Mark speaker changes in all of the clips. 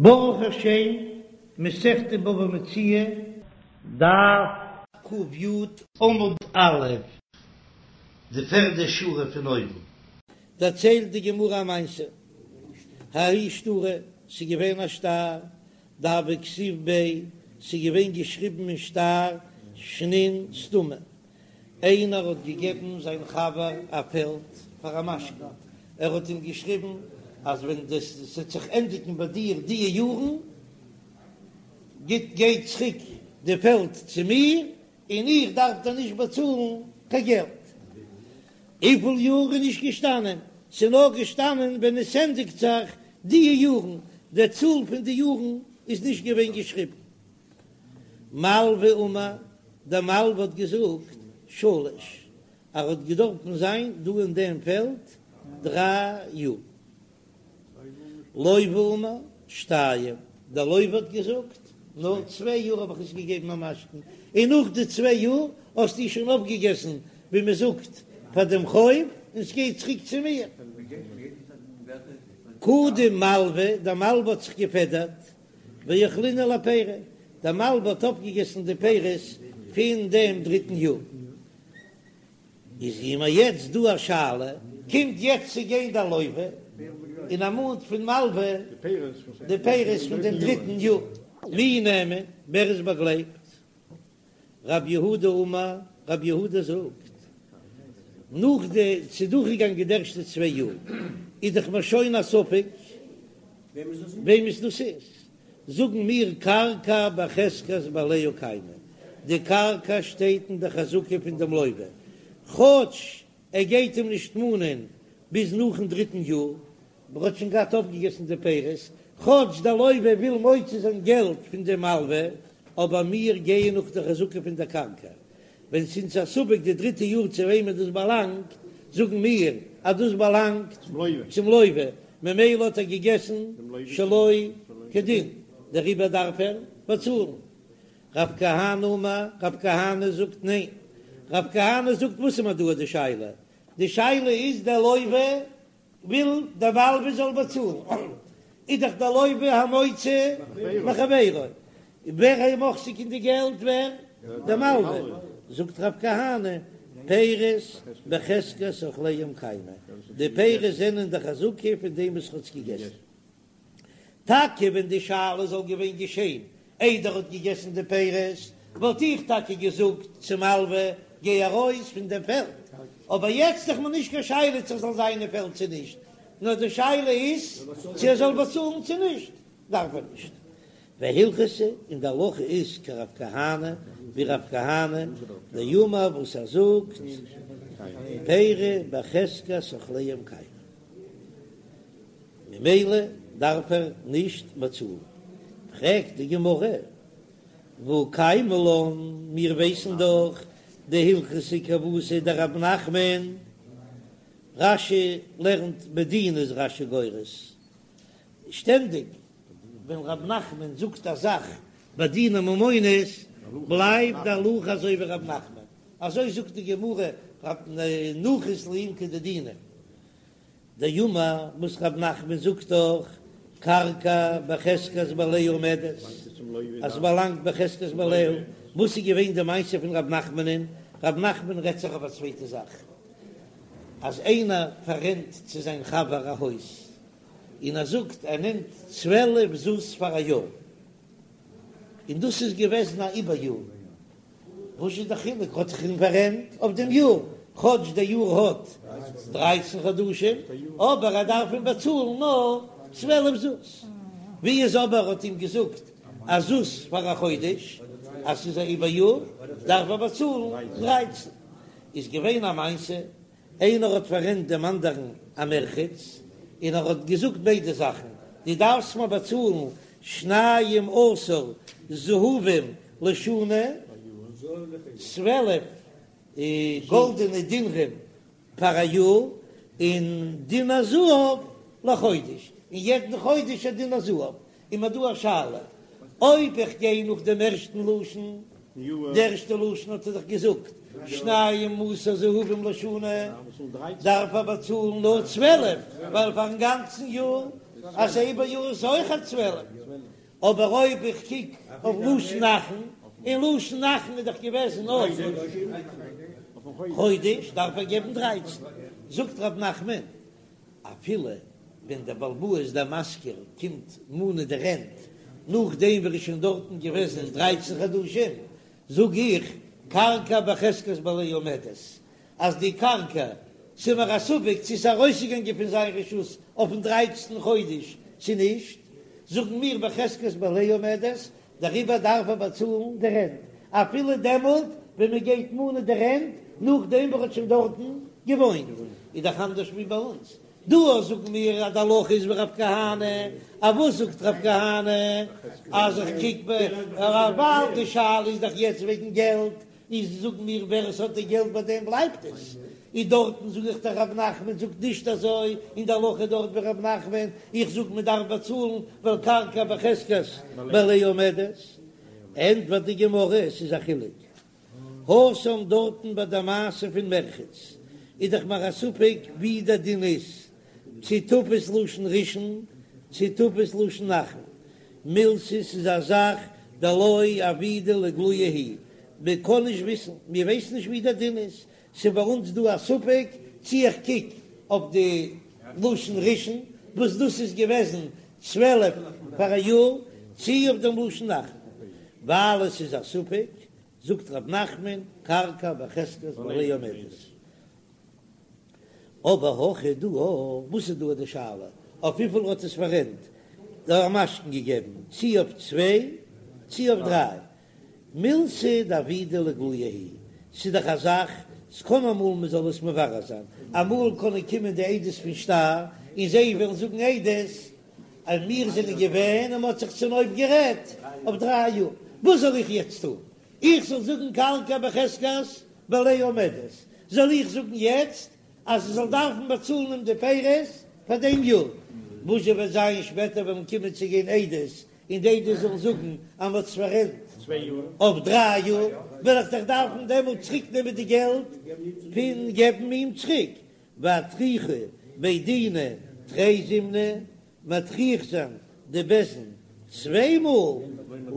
Speaker 1: ברוך השם, מסכת בבא מציעא, דף ק"י, עמוד א', די פערדע שורה פון אויבן. דערציילט די גמרא א מעשה, ההוא שטרא, ס'איז געווען א שטר, דהוה כתיב ביה, ס'איז געווען געשריבן אין שטר שנין סתמא, איינער האט געגעבן זיין חבר א פעלד פאר א משכון, ער האט אים געשריבן אז ווען דאס וועט זיך ענדיגן ביי דיר די יארן, גיט גיי צוריק די פעלד צו מיר, און איך דארף דיר נישט באצאלן קיין געלט. וויפיל יאר איז נישט געשטאנען, ס'איז נאר געשטאנען ווען עס ענדיגט זיך די יארן, די צאל פון די יארן איז נישט געווען געשריבן. מלוה אמר, דער מלוה האט געזאגט, שלש, ער האט געדארפן זיין דא אין דעם פעלד דריי יאר. לוה אמר, שתיים, דער לוה האט געזאגט, נאר צוויי יאר האב איך עס געגעבן א משכון, און נאך די צוויי יאר האסטו שוין אויפגעגעסן, ווי מען זאגט, פאר דעם חוב, און ס'גייט צוריק צו מיר. קדים מלוה, דער מלוה האט זיך געפעדערט, ואכלינהו לפירי, דער מלוה האט אויפגעגעסן די פירות פון דעם דריטן יאר. איז מיר יעצט דא א שאלה, קומט יעצט צו גיין דער לוה און ער מאנט פון מלוה די פירות פון דעם דריטן יאר. מי נאמן, ווער איז באגלייבט? רב יהודה אמר, רב יהודה זאגט, נאך די ס'איז דורכגעגאנגען די ערשטע צוויי יאר, איז דאך מיר שוין א ספק וועמענס דאס איז, זאגן מיר קרקע בחזקת בעליה קיימא, די קרקע שטייט אין די חזקה פון דעם לוה, כאטש ער גייט אים נישט מאנען ביז נאכן דריטן יאר, ער האט שוין געהאט אויפגעגעסן די פירות, כאטש דער לוה וויל מוציא זיין געלט פון דעם מלווה, אבער מיר גייען נאך די חזקה פון דער קרקע, ווען ס'איז א ספק די דריטע יאר צו וועמען דאס באלאנגט, זאגן מיר אז דאס באלאנגט צום לוה, ממילא האט ער געגעסן שלא כדין, דעריבער דארף ער באצאלן. רב כהנא אמר, רב כהנא זאגט ניין, רב כהנא זאגט וואס איז מיר דא די שאלה? די שאלה איז דער לוה וויל דער מלווה זאל באצאלן, איז דאך דער לוה המוציא מחבירו, ווער איז מחזיק אין די געלט ווער? דער מלווה, זאגט רב כהנא, פירות בחזקת אוכליהם קיימי, די פירות זענען די חזקה פון דעם וואס האט עס געגעסן. טאקע ווען די שאלה זאל געווען געשען איידער ער האט געגעסן די פירות, וואלט איך טאקע געזאגט צום מלווה, גיי ארויס פון דעם פעלד, אבער יעצט איז מיר נישט קיין שאלה צו ער זאל זיין אין פעלד צו נישט, נאר די שאלה איז צו ער זאל באצאלן צו נישט, דארף ער נישט. והלכתא, און די הלכה איז כרב כהנא, ווי רב כהנא, דאמר וואס ער זאגט, פירי בחזקת אוכליהם קיימי. ממילא דארף ער נישט באצאלן. פרעגט די גמרא, והא קיימא לן, מיר ווייסן דאך דהלכתא כוותיה דרב נחמן, רש"י לערנט בדין איז רש"י גורס, שטענדיג ווען רב נחמן זאגט א זאך בדיני ממונות בלייבט די הלכה אזוי ווי רב נחמן, אזוי זאגט די גמרא, נחית לעומקא דדינא. דאמר וואס רב נחמן זאגט דאך קרקע בחזקת בעליה עומדת, אז ס'באלאנגט בחזקת בעליה, וואס איז געווען די מעשה פון רב נחמנ'ן? רב נחמן רעדט זיך אויף א צווייטע זאך, אז איינער פאררענט צו זיין חבר א הויז, און ער זאגט ער נעמט 12 זוז פאר א יאר, און דאס איז געוועזן א עיבור יאר, וואס איז די חילוק? האט זיך אים פאררענט אויף דעם יאר, כאטש דער יאר האט דרייצן חדשים, אבער ער דארף אים באצאלן נאר 12 זוז. ווי איז אבער האט אים געזאגט א זוז פאר א חודש, אז ס'איז א עיבור יאר, דארף ער באצאלן דרייצן. איז געווען א מעשה איינער האט פאררענט דעם אנדערן א מרחץ, און ער האט געזאגט ביידע זאכן, דו דארפסט מיר באצאלן שניים עשר זהובים לשנה, 12 גאלדענע דינרים פאר א יאר, און דינר זהב לחודש, און יעדן חודש א דינר זהב. איז מיר דא א שאלה, אויב איך גיי נאך דעם ערשטן לשון, די ערשטע לשון האט ער דאך געזאגט שנים עשר זהובים לשנה, דארף ער באצאלן נאר 12, ווייל פארן גאנצן יאר אז ס'איבער יאר איז אויך א 12, אבער אויב איך קוק אויף לשון אחרון, און לשון אחרון איז דאך געוועזן אויף חודש, דארף ער געבן דרייצן. זאגט ר' נחמן, אפילו ווען דער בעל הבית דער משכיר קומט מאנען די רענט נאכדעם ווי ער איז שוין דארטן געוועזן דרייצן חדשים, זאג איך, קרקע בחזקת בעליה עומדת, אז די קרקע, ס'איז מיר א ספק צו ס'איז ארויסגעגאנגען פון זיין רשות אויפן דרייצנטן חודש צו נישט, זאגן מיר בחזקת בעליה עומדת, דעריבער דארף ער באצאלן די רענט אפילו דעמאלט ווען מען גייט מאנען די רענט נאכדעם וואס ער האט שוין דארטן געוואוינט, איז דאך אנדערש ווי ביי אונז דא, זאגן מיר אז די הלכה איז ווי רב כהנא, א וואס זאגט רב כהנא אז איך קוק ווייל די שאלה איז דאך יעצט וועגן געלט, איז זאג מיר ווער עס האט די געלט ביי דעם בלייבט עס, איז דארטן זאג איך דאך רב נחמן זאגט נישט אזוי, און די הלכה דארט ווי רב נחמן, איך זאג מען דארף באצאלן ווייל קרקע בחזקת בעליה עומדת, ענטפערט די גמרא עס איז א חילוק, התם דארטן ביי די מעשה פון מרחץ איז דאך מיר א ספק ווי די דין איז, צו תפס לשון ראשון צו תפס לשון אחרון, מילתא ס'איז א זאך דלא עבידא לאיגלויי היא, מען קען נישט וויסן, מיר ווייסן נישט ווי דער דין איז, ס'איז ביי אונז דא א ספק צי איך קוק אויף די לשון ראשון וואס דאס איז געוועזן 12 פאר א יאר, צי אויף דעם לשון אחרון, ווייל עס איז א ספק, זאגט ר' נחמן, קרקע בחזקת בעליה עומדת. אבער הכא דא, וואס איז דא די שאלה? אויף וויפיל האט עס פאררענט דער משכון געגעבן, צי אויף צוויי צי אויף דריי? מילתא דעבידא לאיגלויי היא, ס'איז דאך א זאך, ס'קען אמאל מ'זאל עס מברר זיין, אמאל קענען קומען די עדות פון שטר און זיי וועלן זאגן עדות אז מיר זענען געווען און מ'האט זיך צונויף גערעדט אויף דריי יאר, וואס זאל איך יעצט טון? איך זאל זאגן קרקע בחזקת בעליה עומדת, זאל איך זאגן יעצט אז ער זאל דארפן באצאלן אים די פירות פאר דעם יאר? וואס זשע וועט זיין שפעטער וועלן קומען צו גיין עדות און די עדות זאלן זאגן אז מ'האט עס פאררענט אויף דריי יאר, וועל איך דאך דארפן דעמאלט צוריק נעמען די געלט פון געבן אים צוריק, ואטרוחי בי דינא תרי זימני, מטריח זיין די בית דין צוויי מאל,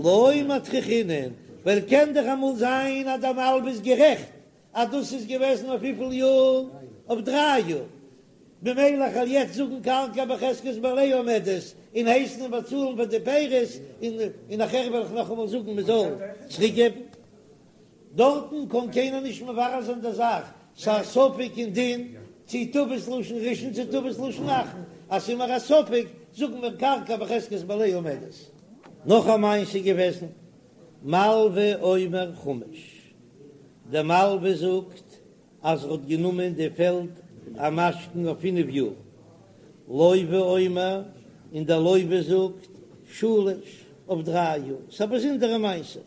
Speaker 1: לא מטריחינן, ווייל קען דאך אמאל זיין אז דער מלווה איז גערעכט אז דאס איז געוועזן אויף וויפיל יאר? אויף דריי יאר, ממילא איך וועל יעצט זאגן קרקע בחזקת בעליה עומדת און הייסן אים באצאלן פאר די פירות, און נאכער וועל איך נאכאמאל זאגן מען זאל צוריק געבן. דארטן קען קיינער נישט מברר זיין די זאך, ס'איז א ספק אין דין צי תפס לשון ראשון צי תפס לשון אחרון, אז ס'איז מיר א ספק זאגן מיר קרקע בחזקת בעליה עומדת. נאך א מעשה געוועזן, מלווה אומר חמש, דער מלווה זאגט אז ער האט גענומען די פעלד א משכון אויף פינף יאר, לוה אומר, און דער לוה זאגט שלש אויף דריי יאר, ס'איז א באזונדערע מעשה,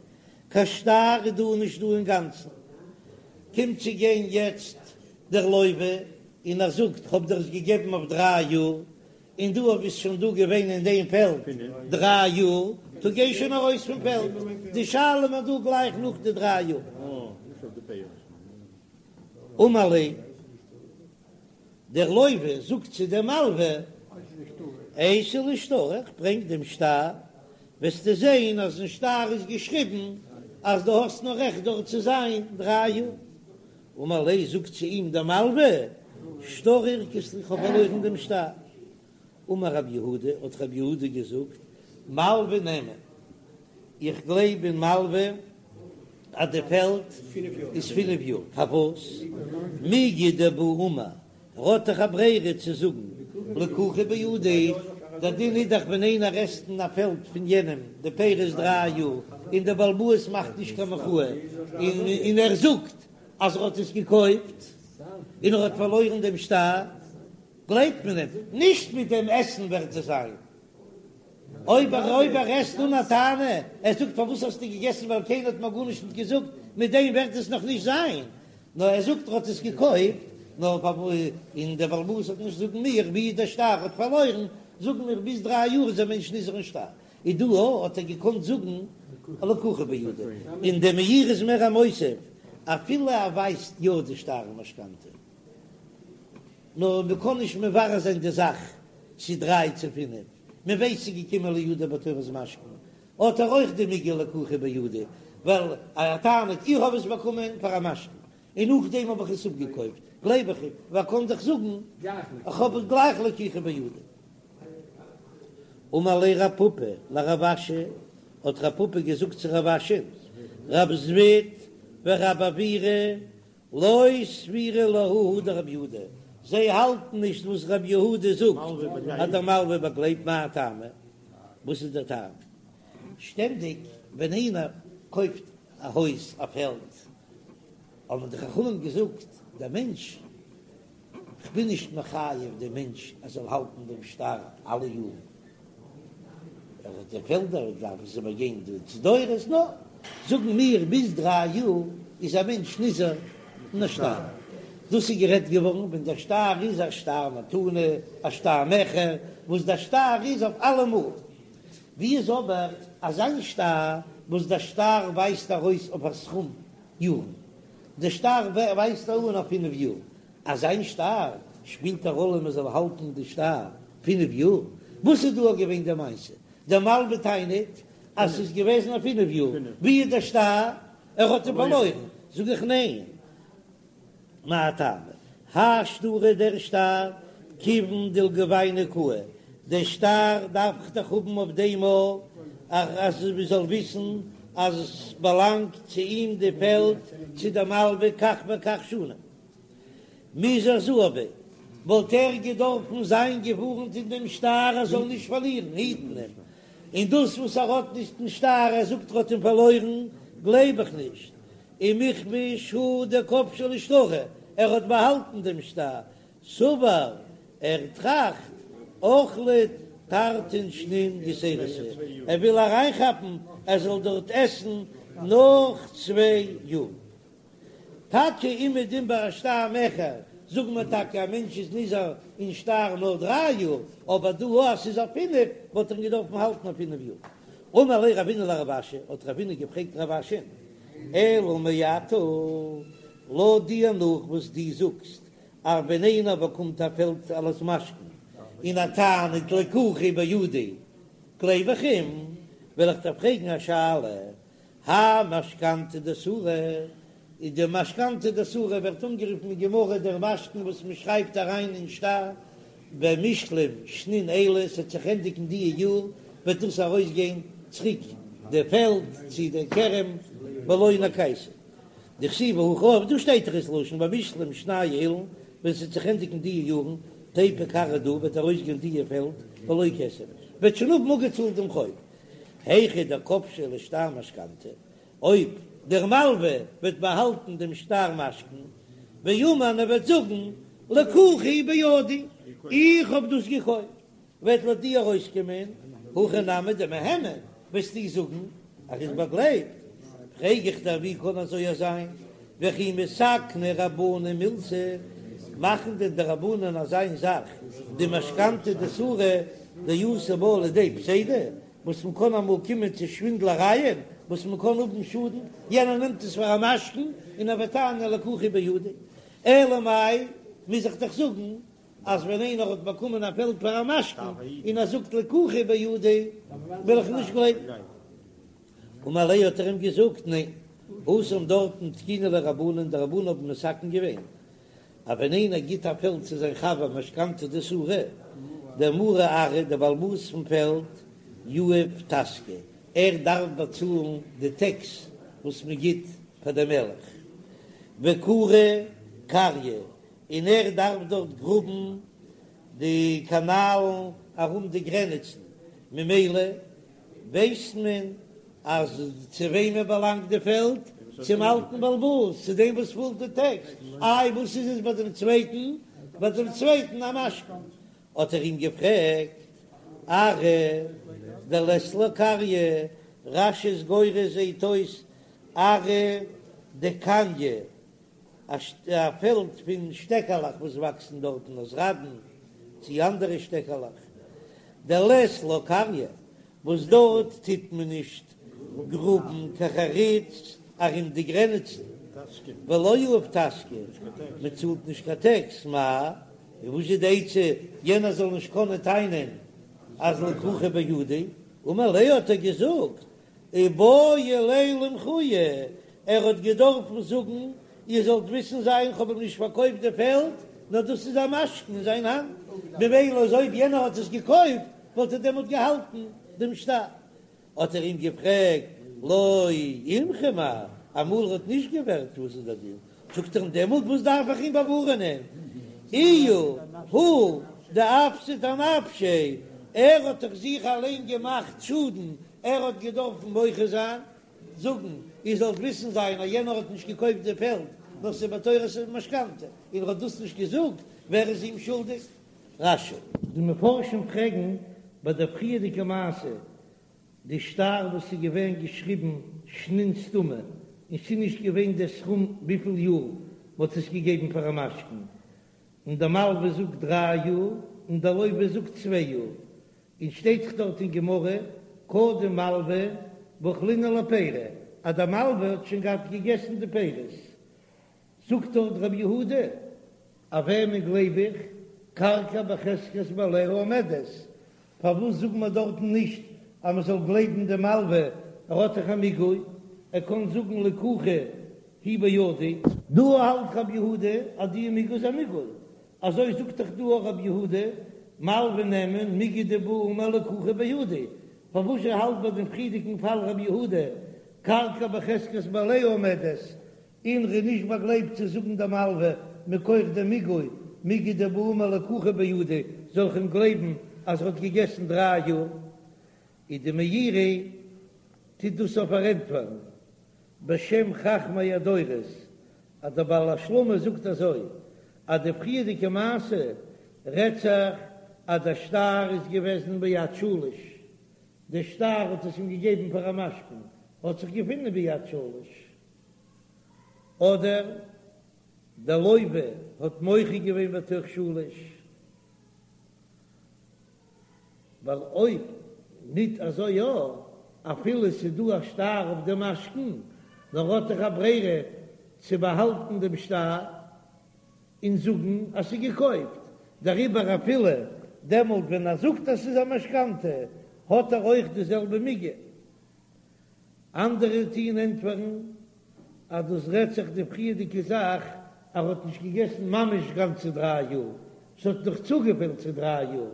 Speaker 1: קיין שטר איז דא נישט דא אינגאנצן, קומט צו גיין יעצט דער לוה און ער זאגט כ'האב דיר עס געגעבן אויף דריי יאר, און דו ביסט שוין דא געווען אין דעם פעלד דריי יאר, טא גיי שוין ארויס פון פעלד, די שאלה איז דא גלייך נאך די דריי יאר. אמר ליה, דער לוה זאגט צו דעם מלווה, אייתי לי שטרא, איך ברענג דעם שטר, וועסטו זען אז אין שטר איז געשריבן אז דו האסט נאר רעכט דארט צו זיין דריי יאר. אמר ליה, זאגט צו אים דער מלווה, שטרא אירקת לי, איך האב פארלוירן דעם שטר. אמר רב יהודה, האט רב יהודה געזאגט, מלווה נאמן, איך גלייב אין מלווה אז די פעלד איז פינף יאר, פארוואס? מיגו דבעי אמר, ער האט דאך א ברירה צו זאגן לקוחה בידי, דער דין איז דאך ווען איינער עסט אין א פעלד פון יענעם די פירות דריי יאר און דער בעל הבית מאכט נישט קיין מחאה און ער זאגט אז ער האט עס געקויפט און ער האט פארלוירן דעם שטר, גלייבט מען אים, נישט מיט דעם עסן ווערט עס זיין. אויב ער אויב ער עסט אן א טענה, ער זאגט פארוואס האסטו געגעסן ווייל קיינער האט מיר גארנישט נישט געזאגט, מיט דעם ווערט עס נאך נישט זיין, נאר ער זאגט ער האט עס געקויפט, נאר און דער בעל הבית האט נישט זאגן מיר ווי דער שטר האט פארלוירן, זאגן מיר ביז דריי יאר איז א מענטש נזהר אין שטר, איז דא האט ער געקאנט זאגן לקוחה בידי, און דער מאירי איז מער א מוסיף אפילו ער ווייזט יא די שטר משכנתא. נאר מען קען נישט מברר זיין די זאך צו דריי צו פינף. מען ווייסט ס'איז געקומען לידו בתורת משכון, האט ער אויך די מיגו לקוחה בידי, ווייל ער טענה'ט איך האב עס באקומען פאר א משכון, און נאכדעם האב איך עס אפגעקויפט, גלייב איך אים, ווייל ער קען דאך זאגן איך האב עס גלייך לקוחה בידי. אמר ליה רב פפא לרב אשי, האט רב פפא געזאגט צו רב אשי, רב זביד ורב עוירא לא סבירא להו הא דרב יהודה, זיי האלטן נישט וואס רב יהודה זאגט אז דער מלווה באגלייבט, מאי טעמא? וואס איז דער טעם? שטענדיג ווען איינער קויפט א הויז א פעלד האבן די חכמים געזאגט דער מענטש כ'בין נישט מחייב דעם מענטש ער זאל האלטן דעם שטר אלע יארן, ער האט די פעלדער דארף עס איבערגיין די דורות, נאר זאגן מיר ביז דריי יאר איז א מענטש נזהר אין א שטר, דאס איז גערעדט געווארן ווען דער שטר איז א שטר מתנה, א שטר מכר, וואס דער שטר איז אויף אלעמאל, ווי איז אבער אזיין שטר וואס דער שטר ווייזט ארויס אויף א סכום יארן, דער שטר ווייזט אן אויף פינף יאר, אזיין שטר שפילט א ראלע מען זאל האלטן די שטר פינף יאר? וואס איז דא געווען די מעשה? דער מלווה טענה'ט אז ס'איז געוועזן אויף פינף יאר, ווי איז דער שטר? ער האט אים פארלוירן, זאג איך ניין, מאי טעמא? האי שטרא דער שטר כיוון דלגובייניה קאי, דער שטר דארף איך דאך האבן אויף דעם אז מען זאל וויסן אז עס באלאנגט צו אים די פעלד צו דער מלווה כך וכך שנים. מיזהר זהיר ביה, וואלט ער געדארפן זיין געווארנט אין דעם שטר ער זאל נישט פארלירן, היטן אים, און דאס וואס ער האט נישט דעם שטר, ער זאגט ער האט אים פארלוירן, גלייב איך נישט. ומכבש הוא דכבשיה לשטרא, ער האט באהאלטן דעם שטר, סבר, ער טראכט, אוכלא תרתין שנין יתירתא, ער וויל אריינכאפן ער זאל דארט עסן נאך צוויי יאר. טאקע אומעדום ביי א שטר מכר זאגט מען טאקע א מענטש איז נזהר אין שטר נאר דריי יאר, אבער דא אז ס'איז אויף פינף וואלט ער געדארפן האלטן אויף פינף יאר. אמר ליה רבינא לרב אשי, האט רבינא געפרעגט רב אשי, אלא מעתה, לויט דיר נאך וואס דו זאגסט אז ווען איינער באקומט א פעלד אלס משכון און ער טענה'ט לקוחה בידי גלייב איך אים, וועל איך דיר פרעגן א שאלה, האי משכנתא דסורא, איז די משכנתא דסורא ווערט אנגערופן אין גמרא דער משכון וואס מען שרייבט אריין אין שטר, במשלם שנין אלו, ס'וועט זיך ענדיגן די יאר וועט דאס ארויסגיין צוריק די פעלד צו די כרם בלא נקייתא דכתיב הכא, דא שטייט דאך ס'לשון במשלם שני אלין, ווען ס'וועט זיך ענדיגן די יארן תיפוק ארעא דא וועט ארויסגיין די פעלד בלא כסף וועט שוין האבן אפגעצאלט דעם חוב. היכא דכבשיה לשטר משכנתא, אויב דער מלווה וועט באהאלטן דעם שטר משכון, ואמר און ער וועט זאגן לקוחה בידי, איך האב דאס געקויפט, וועט לויט דיר ארויסקומען הכי נמי דמהימן, וועסטו זאגן אז ער איז באגלייבט, פרעג איך דיר ווי קען אזוי זיין, וכי מתקני רבנן מילתא, מאכן דען די רבנן אזיין זאך דמשכנתא דסורא דאתי בה לידי פסידא, וואס מען קען אמאל קומען צו שווינדלערייען, וואס מען קען האבן שאדן, יענער נעמט עס פאר א משכון און ער וועט טענה'ן לקוחה בידי, אלא מאי מוז איך דאך זאגן אז ווען איינער האט באקומען א פעלד פאר א משכון און ער זאגט לקוחה בידי וועל איך נישט גלייבן. אמר ליה האט ער אים געזאגט, ניין, התם דארטן תקינו ליה רבנן, די רבנן האבן מתקן געווען אז ווען איינער גיט א פעלד צו זיין חבר משכנתא דסורא, דער מרי ארעא, דער בעל הבית פון פעלד, יהיב טסקא, ער דארף באצאלן די טעקס וואס מען גיט פאר דעם מלך, וכרי קריא, און ער דארף דארט גראבן די קאנאלן ארום די גרעניצן, ממילא ווייסט מען אז צו וועמען באלאנגט די פעלד? צום אלטן בעל הבית, צו דעם וואס צאלט די טעקס. איי וואס איז עס ביי דעם צווייטן? ביי דעם צווייטן א משכון. האט ער אים געפרעגט, ארעא דלית לה קריא, רש"י איז גורס זעהט אויס ארעא דקניא, א פעלד פון שטעקעלעך וואס וואקסן דארטן אזראדן צי אנדערע שטעקעלעך, דלית לה קריא, וואס דארט טוט מען נישט גראבן קיין חריץ ארום די גרעניצן, ולא יהיב טסקא, מען צאלט נישט קיין טעקס, מאי, און וואס איז די עצה יענער זאל נישט קענען טענה'ן? אז לקוחה בידי, אמר ליה האט ער געזאגט, איבעי ליה למחויי, ער האט געדארפן זאגן, איר זאלט וויסן זיין, כ'האב אים נישט פארקויפט די פעלד, נאר דאס איז א משכון אין זיין האנט, ממילא אז אויב יענער האט עס געקויפט, וואלט ער דעמאלט געהאלטן דעם שטר. האט ער אים געפרעגט, לא אימחי מר, אמאל ער האט נישט געווערט וואס איז דער דין? זאגט ער אים, דעמאלט וואס דארף איך אים באווארענען? איהו הוא דאפסיד אנפשיה, ער האט דאך זיך אליין געמאכט שאדן, ער האט געדארפן מוחה זיין, זאגן, איר זאלט וויסן זיין אז יענער האט נישט געקויפט די פעלד, נאר ס'איז בתורת משכנתא, און ער האט דאס נישט געזאגט, ווער איז אים שולדיג? רש"י. די מפרשים פרעגן ביי דער פריערדיגע מעשה, די שטר וואס איז געווען געשריבן שנין סתומה, און ס'איז נישט געווען דער סכום וויפיל יאר מ'האט עס געגעבן פאר א משכון, און דער מלווה זאגט דריי יאר און דער לוה זאגט צוויי יאר, און שטייט דאך דארט אין גמרא קדם מלווה ואכלינהו לפירי, אז דער מלווה האט שוין געהאט געגעסן די פירות, זאגט דארט רבי יהודה, אויף וועמען גלייב איך, קרקע בחזקת בעליה עומדת, פארוואס זאגט מען דארטן נישט אז מען זאל גלייבן דעם מלווה, ער האט דאך א מיגו, ער קען זאגן לקוחה היא בידי. דא האלט רבי יהודה אז די מיגו איז א מיגו, אזוי זאגט דאך דא אויך רבי יהודה, מלווה נאמן מיגו דבעי אמר לקוחה בידי, פארוואס זשע האלט ביי דעם פריערדיגן פאל רבי יהודה קרקע בחזקת בעליה עומדת, און ר'איז נישט באגלייבט צו זאגן דעם מלווה מכח דעם מיגו, מיגו דבעי אמר לקוחה בידי, זאל איך אים גלייבן אז ער האט געגעסן דריי יאר? איז די מאירי טוט דאס אויף פארענטפערן בשם חכמי הדורות, אז דער בעל השלמה זאגט אזוי, אז די פריערדיגע מעשה רעדט זיך אז דער שטר איז געוועזן ביד שליש, דער שטר האט עס אים געגעבן פאר א משכון, האט זיך געפונען ביד שליש, אדער דער לוה האט מוחה געווען בתוך שלש, ווייל אויב ניט אזוי יא, אפילו ס'איז דא א שטר אויף דעם משכון, נאר האט דאך א ברירה צו באהאלטן דעם שטר און זאגן אז ס'איז געקויפט, דעריבער אפילו דעמאלט ווען ער זאגט אז ס'איז א משכנתא האט ער אויך די זעלבע מיגו. אנדערע טוען ענטפערן אז דאס רעדט זיך די פריערדיגע זאך, ער האט נישט געגעסן ממש גאנצע דריי יאר, ס'האט נאך צוגעפעלט צו דריי יאר,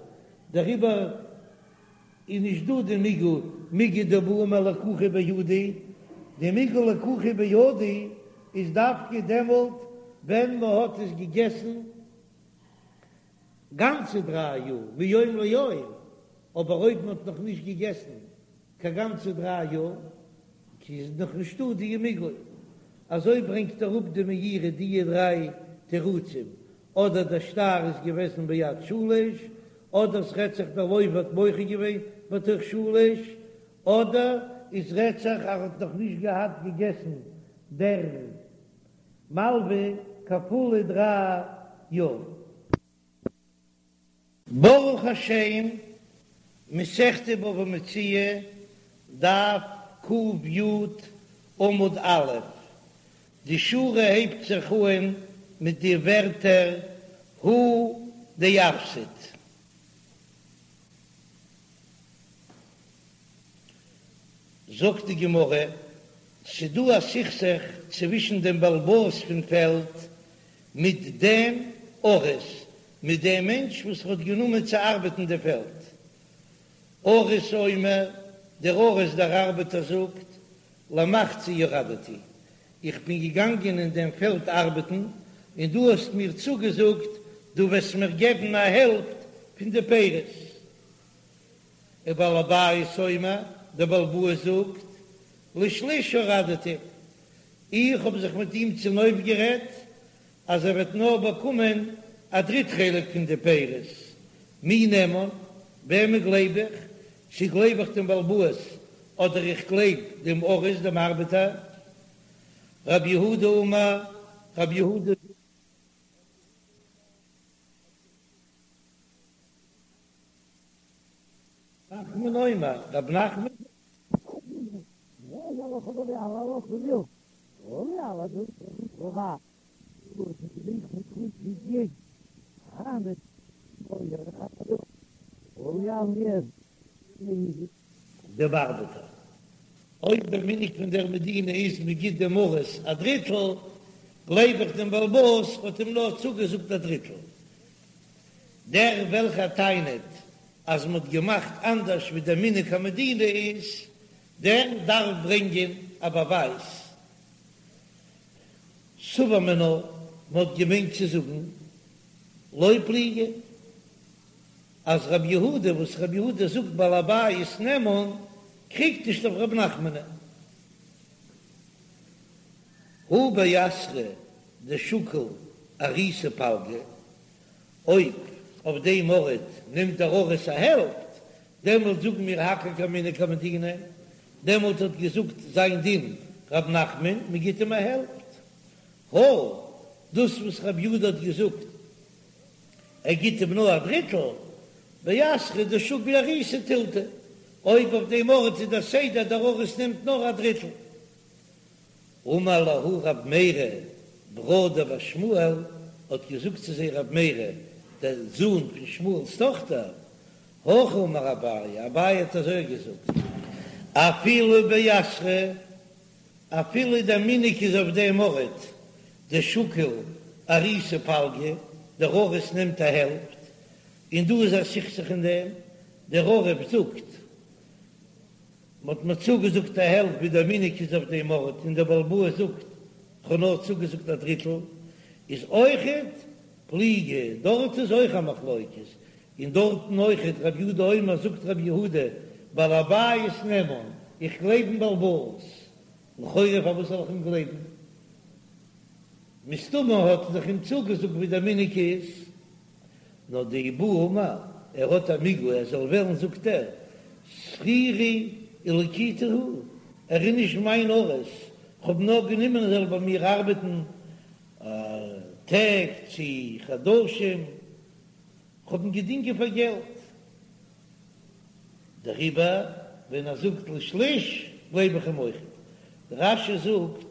Speaker 1: דעריבער איז נישט דא די מיגו מיגו דבעי אמר לקוחה בידי, די מיגו לקוחה בידי איז דווקא דעמאלט ווען מ'האט עס געגעסן גאנצע דריי יאר מיום ליום, אבער אויב מ'האט נאך נישט געגעסן קיין גאנצע דריי יאר, איז נאך נישטא די מיגו. אזוי ברענגט אראפ די מאירי די דריי תירוצים, אדער דער שטר איז געוועזן ביד שליש, אדער ס'רעדט זיך דער לוה האט מוחה געווען בתוך שלש, אדער עס רעדט זיך אז ער האט נאך נישט געהאט געגעסן דער מלווה קיין פולע דריי יאר. ברוך השם, מסכת בבא מציעא, דף ק"י, עמוד א', די שורה הייבט זיך אהן מיט די ווערטער הוא דאפסיד. זאגט די גמרא, ס'דא א סכסוך צווישן דעם בעל הבית פון פעלד מיט דעם אריס, מיט דעם מענטש וואס האט גענומען צו ארבעטן די פעלד. אריס אומר, דער אריס דער ארבעטער זאגט, למחצה ירדתי, איך בין געגאנגען אין דעם פעלד ארבעטן, און דו האסט מיר צוגעזאגט דו וועסט מיר געבן א העלפט פון די פירות. ובעל הבית אומר, דער בעל הבית זאגט, לשליש ירדתי, איך האב זיך מיט אים צונויפגערעדט אז ער וועט נאר באקומען א דריט חלק פון די פירות, מי נאמן, וועמען גלייב איך, צו גלייב איך דעם בעל הבית אדער איך גלייב דעם אריס דעם ארבעטער? רב יהודה אמר, רב יהודה זאגט. נחמן אומר, רב נחמן זאגט. דעם ארבעטער. אויב דער מנהג פון דער מדינה איז מען גיט דעם אריס א דריטל, גלייב איך דעם בעל הבית האט אים נאר צוגעזאגט א דריטל. דער וועלכער טענה'ט אז מען האט געמאכט אנדערש ווי דער מנהג המדינה איז, דער דארף ברענגען א באווייז. סבור מינה, מען האט געמיינט צו זאגן לא פליגי. אז רבי יהודה וואס רבי יהודה זאגט בעל הבית נאמן קריגט נישט אויף רב נחמנ'ן. הא באתרא דשקיל אריסא פלגא, אויב אויף דעם ארט נעמט דער אריס א העלפט, דעמאלט זאגן מיר הכל כמנהג המדינה, דעמאלט האט געזאגט זיין דין רב נחמן מען גיט אים א העלפט. הא דאס וואס רבי יהודה האט געזאגט ער גיט אים נאר א דריטל, באתרא דשקיל אריסא תילתא, אויב אויף דעם ארט איז דער סדר דער אריס נעמט נאר א דריטל. אמר להו רב מרי ברא דבת שמואל, האט געזאגט צו זיי רב מרי דער זון פון שמואל'ס טאכטער, הכי אמר אביי, אביי האט אזוי געזאגט, אפילו באתרא אפילו דער מנהג איז אויף דעם ארט דשקיל אריסא פלגא, דער אריס נעמט א העלפט, און דא איז א סכסוך אין דעם, דער אריס זאגט, מ'האט מיר צוגעזאגט א העלפט ווי דער מנהג איז אויף דעם ארט, און דער בעל הבית זאגט, כ'האב נאר צוגעזאגט א דריטל, איז אויכעט פליגי, דארט איז אויך א מחלוקת, און דארטן אויכעט רב יהודה אומר זאגט רב יהודה בעל הבית נאמן, איך גלייב אין בעל הבית, לכאורה פארוואס זאל איך אים גלייבן? מסתמא האט ער דאך אים צוגעזאגט ווי דער מנהג איז, נאר דאי בעי אמר ער האט א מיגו ער זאל וועלן זאגט ער שכירי ולקיטי הוא, ער איז נישט מיין אריס, כ'האב נאר גענומען ער זאל ביי מיר ארבעטן טעג צי חדשים. כ'האב אים געדינגען פאר געלט, דעריבער ווען ער זאגט לשליש גלייב איך אים אויכעט. רש"י זאגט,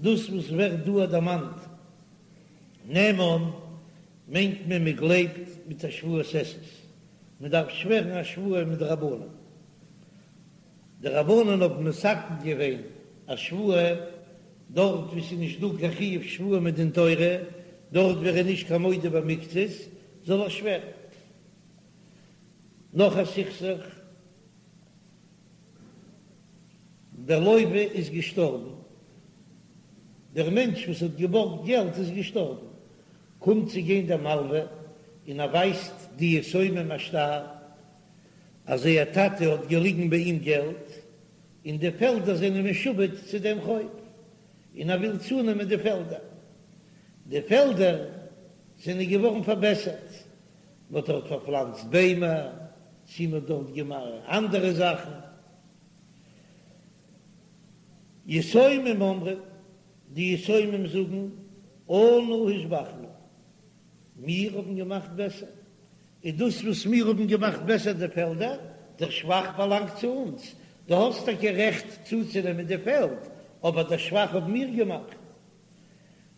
Speaker 1: דאס וואס ווערט דא דערמאנט נאמן מיינט מען מען גלייבט מיט א שבועת עשות, מען דארף שווערן א שבועה מדרבנן. די רבנן האבן מתקן געווען א שבועה דארט וואו ס'איז נישט דא קיין חיוב שבועה מדין תורה, דארט וואו ער איז נישט קיין מודה במקצת זאל ער שווערן. נאך א סכסוך, דער לוה איז געשטארבן, דער מענטש וואס האט געבארגט געלט איז געשטארבן, קומט צו גיין דער מלווה און ער ווייזט די יתומים א שטר, אז זייער טאטע האט געליגן ביי אים געלט, און די פעלדער זענען משועבד צו דעם חוב, און ער וויל צונעמען די פעלדער. די פעלדער זענען געווארן פארבעסערט, מען האט דארט פארפלאנצט ביימער, צי מען האט דארט געמאכט אנדערע זאכן. יתומים אומרים, די יתומים זאגן, אנו השבחנו, מיר האבן געמאכט בעסער, און דאס וואס מיר האבן געמאכט בעסער די פעלדער, דער שבח באלאנגט צו אונז, דו האסט טאקע רעכט צוצונעמען די פעלד, אבער דער שבח האבן מיר געמאכט.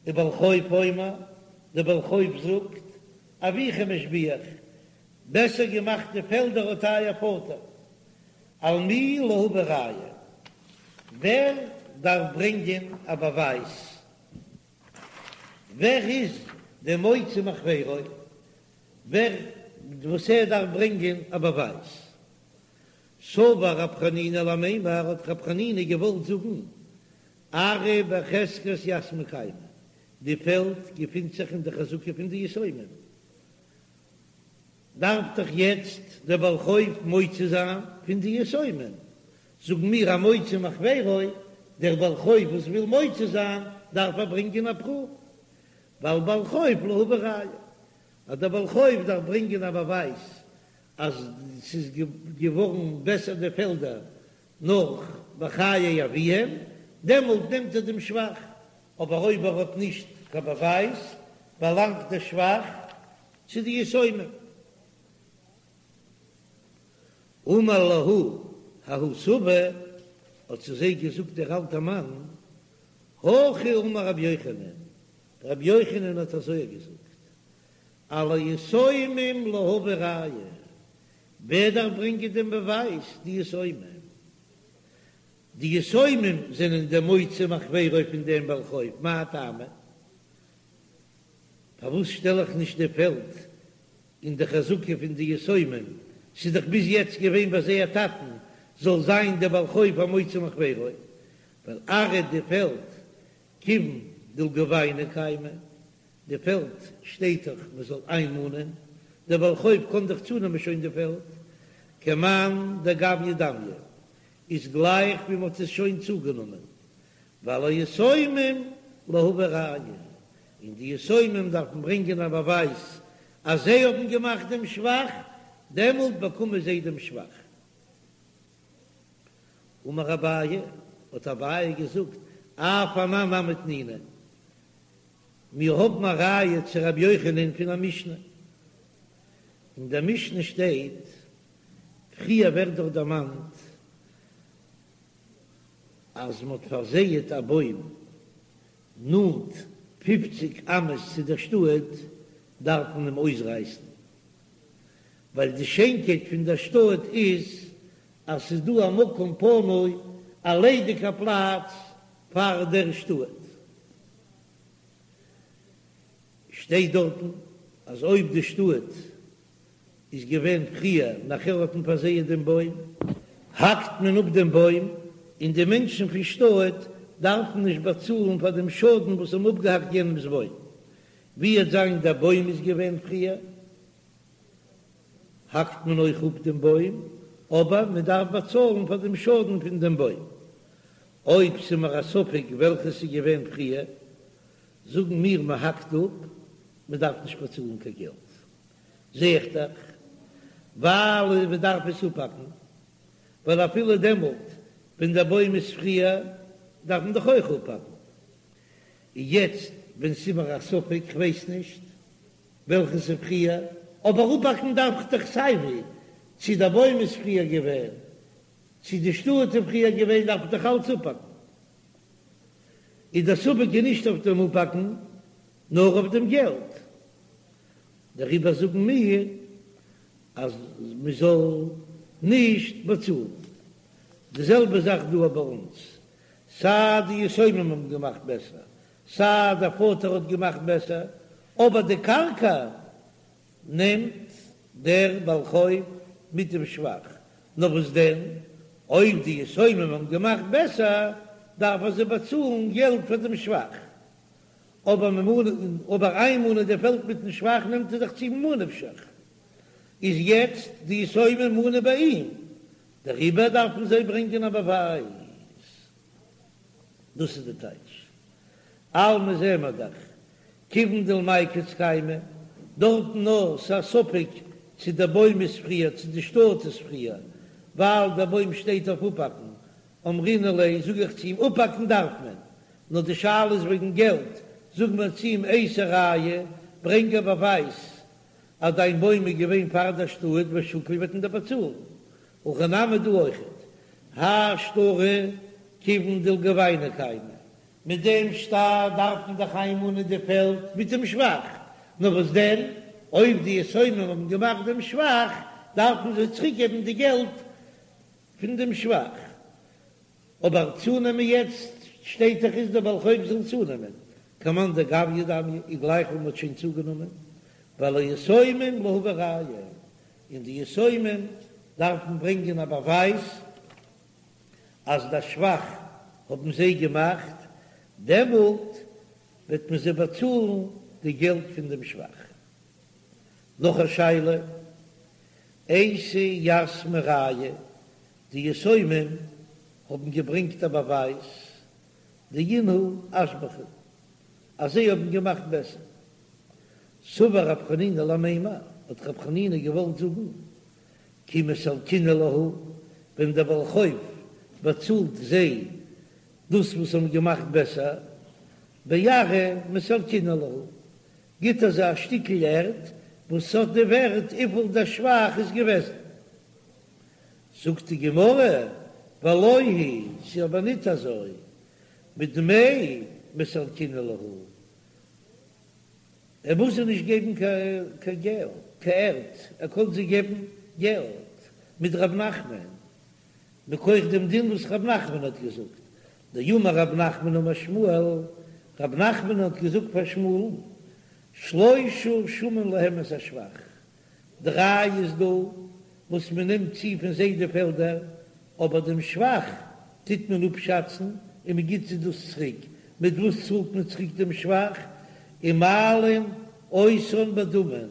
Speaker 1: ובעל חוב אומר, דער בעל חוב זאגט, אביכם השביח, בעסער געמאכט די פעלדער האט אייער פאטער. על מי להביא ראיה, ווער דארף ברענגען א באווייז? ווער איז דער מוציא מחבירו? ווער וואס ער דארף ברענגען א באווייז? סבר רב חנינא למימר, האט רב חנינא געוואלט זאגן, ארעא בחזקת יתמי קיימא, די פעלד געפינט זיך אין די חזקה פון די יתומים, דארף דאך יעצט דער בעל חוב מוציא זיין פון די יתומים, זאגן מיר המוציא מחבירו, דער בעל חוב וואס וויל מוציא זיין דארף ער ברענגען א פרוף, ועל בעל חוב להביא ראיה, אז דער בעל חוב דארף ברענגען א באווייז אז ס'איז געווארן בעסער די פעלדער נאך בחיי אביהם, דעמאלט נעמט ער דעם שבח, אבער אויב ער האט נישט קיין באווייז באלאנגט דער שבח צו די יתומים. אמר להו ההוא סבא, האט צו זיי געזאגט דער אלטער מאן, הכי אמר רבי יוחנן, רבי יוחנן האט אזוי געזאגט, על היתומים להביא ראיה, ווער דארף ברענגען דעם באווייז? די יתומים. די יתומים זענען די מוציא מחבירו פון דעם בעל חוב, מאי טעמא? פארוואס שטעל איך נישט די פעלד אין די חזקה פון די יתומים, ס'איז דאך ביז יעצט געווען ביי זייער טאטן, זאל זיין דער בעל חוב א מוציא מחבירו, ווייל ארעא די פעלד כיוון דלגוביינא קיימא, די פעלד שטייט דאך מען זאל איינמאנען, דער בעל חוב קען דאך צונעמען שוין די פעלד, כמאן דגביא דמיא, איז גלייך ווי מען האט עס שוין צוגענומען, ועל היתומים להביא ראיה, און די יתומים דארפן ברענגען א באווייז אז זיי האבן געמאכט דעם שבח, דעמאלט באקומען זיי דעם שבח. אמר אביי, האט אביי געזאגט, אף אנן נמי תנינא, מיר האבן א ראיה צו רבי יוחנן פון א משנה, אין דער משנה שטייט, פריער ווערט דאך דערמאנט אז מען האט פארזייעט א בוים נאנט פופציג אמות צו דער שטאט, דארף מען אים אויסרייסן, ווייל די שיינקייט פון דער שטאט איז אז ס'איז דא א מקום פנוי, א ליידיגע פלאץ פאר דער שטאט. שטייט דארטן אז אויב די שטאט איז געווען פריער נאכער האט מען פארזייעט דעם בוים, האקט מען אפ דעם בוים, און די מענטשן פון שטאט דארפן נישט באצאלן פאר דעם שאדן וואס האבן אפגעהאקט יענעמס בוים. ווי וועט זיין דער בוים איז געווען פריער, האקט מען אויך אפ דעם בוים, אבער מען דארף באצאלן פאר דעם שאדן פון דעם בוים. אויב ס'איז מיר א ספק וועלכעס איז געווען פריער, זאגן מיר מען האקט אפ, מען דארף נישט באצאלן קיין געלט. זע איך דאך ווייל מען דארף עס אפהאקן, ווייל אפילו דעמאלט ווען דער בוים איז פריער דארף מען דאך אויך אפהאקן. און יעצט ווען ס'איז מיר א ספק, כ'ווייס נישט וועלכעס איז פריער, אבער אפהאקן דארף איך דאך סייווי, צו דער בוים איז פריער געווען, צו די שטאט איז פריער געווען, דארף איך דאך אלץ אפהאקן. איז דער ספק איז נישט אויף דעם אפהאקן, נאר אויף דעם געלט. דעריבער זאגן מיר אז מען זאל נישט באצאלן. די זעלבע זאך דא ביי אונז, סיי די יתומים האבן געמאכט בעסער, סיי דער פאטער האט געמאכט בעסער, אבער די קרקע נעמט דער בעל חוב מיט דעם שבח. נאר וואס דען, אויב די יתומים האבן געמאכט בעסער, דארף ער זיי באצאלן געלט פאר דעם שבח. אבער ממה אבער איינמאנען די פעלד מיטן שבח נעמט ער דאך צו ממה נפשך, איז יעצט די יתומים מאנען ביי אים, דעריבער דארפן זיי ברענגען א באווייז. דאס איז די טייטש. אלמא זעען מיר דאך, כיוון דלמיקץ קיימא, דארטן נאר ס'א ספק צו דער בוים איז פריער צו די שטאט איז פריער, ווייל דער בוים שטייט אויף אפהאקן, אמרינן ליה, זאג איך צו אים, אפהאקן דארף מען, נאר די שאלה איז וועגן געלט, זאג מיר צו אים אייתי ראיה, ברענג א באווייז אז דיין בוים איז געווען פאר דער שטאט ושקיל וועט מען דיר באצאלן, הכא נמי דא אויכעט, האי שטרא כיוון דלגוביינא קיימא, מיט דעם שטר דארף מען דאך איינמאנען די פעלד מיט דעם שבח, נאר וואס דען אויב די יתומים האבן געמאכט דעם שבח דארף מען זיי צוריק געבן די געלט פון דעם שבח, אבער צונעמען יעצט שטייט דאך איז דער בעל חוב זאל צונעמען, כמאן דגביא דמיא איז גלייך ווי מען האט שוין צוגענומען, ועל היתומים להביא ראיה, און די יתומים דארפן ברענגען א באווייז אז דער שבח האבן זיי געמאכט, דעמאלט וועט מען זיי באצאלן די געלט פון דעם שבח. נאך א שאלה, אייתי יתמי ראיה, די יתומים האבן געברענגט א באווייז, דאינהו אשבחו, אז זיי האבן געמאכט בעסער. סבר רב חנינא למימר, האט רב חנינא געוואלט זאגן, כי מסלקינן להו, ווען דער בעל חוב באצאלט זיי דאס וואס האבן געמאכט בעסער, בארעא מסלקינן להו, גיט ער זיי א שטיקל ערד וואס האט די ווערט וויפיל דער שבח איז געוועזן. זאגט די גמרא, ולא היא, ס'איז אבער ניט אזוי, בדמי מסלקינן להו, ער מוז זיי נישט געבן קיין געלט, קיין ערד, ער קען זיי געבן געלט. מדרב נחמן, מכח דעם דין וואס רב נחמן האט געזאגט, דאמר רב נחמן אמר שמואל, רב נחמן האט געזאגט פאר שמואל'ן, שלשה שמין להם את השבח, דריי איז דא וואס מען נעמט צו פון זיי די פעלדער, אבער דעם שבח טוט מען אפשאצן און מען גיט זיי דאס צוריק, מיט וואס צאלט מען צוריק דעם שבח? ומעלין אותן בדמים,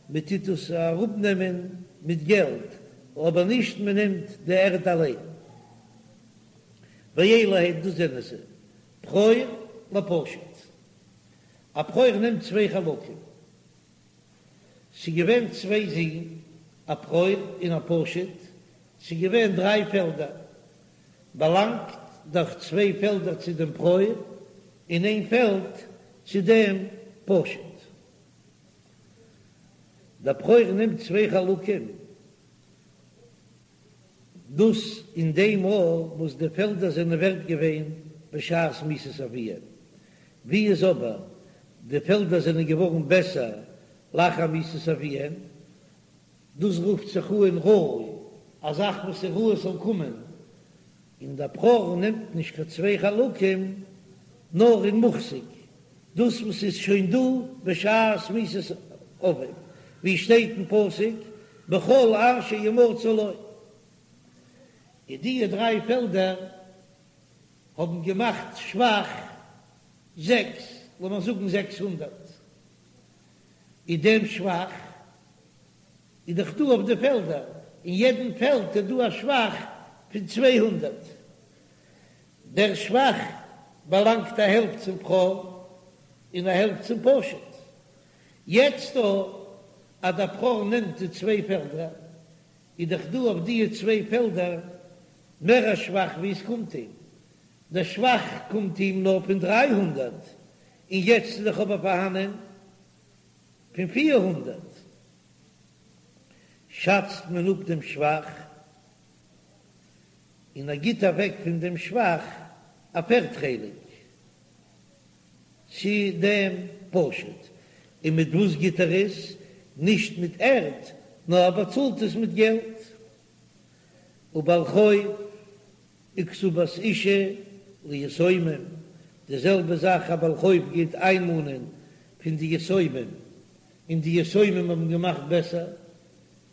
Speaker 1: מען טוט דאס אראפנעמען מיט געלט, אבער נישט מען נעמט די ערד אליין. ואלו הן, דאס זענען זיי, בכור לפשוט. א בכור נעמט צוויי חלקים. ס'איז געווען צוויי זין, א בכור און א פשוט, ס'איז געווען דריי פעלדער, באלאנגט דאך צוויי פעלדער צו דעם בכור און איין פעלד צו דעם פשוט. דער בכור נעמט צוויי חלקים, דאס אין דעם מאל וואס די פעלדער זענען ווערט געווען בשעת מיתת אביהם, ווי איז אבער די פעלדער זענען געווארן בעסער לאחר מיתת אביהם, דאס רופט זיך אן ראוי, א זאך וואס איז ראוי עס זאל קומען, און דער בכור נעמט נישט קיין צוויי חלקים נאר אין מוחזק, דאס וואס איז שוין דא בשעת מיתת אביו, ווי שטייט אין פסוק בכל אשר ימצא לו. און די דריי פעלדער האבן געמאכט שבח זעקס, לאמיר זאגן 600, איז דעם שבח איז דאך דא אויף די פעלדער, אין יעדן פעלד איז דא א שבח פון 200, דער שבח באלאנגט א העלפט צום בכור און א העלפט צום פשוט. יעצט דא אז דער בכור נעמט די צוויי פעלדער, איז דאך דא אויף די צוויי פעלדער מער א שבח ווי עס קומט אים. דער שבח קומט אים נאר פון 300, און יעצט איז דאך אבער פארהאנען פון 400. שאצט מען אפ דעם שבח. און ער גיט אוועק פון דעם שבח א פערט חלק צו דעם פשוט, און מיט וואס גיט ער עס? נישט מיט ערד, נאר ער באצאלט עס מיט געלט. ובעל חוב וכתובת אשה ליתומים, די זעלבע זאך א בעל חוב גייט איינמאנען פון די יתומים, און די יתומים האבן געמאכט בעסער,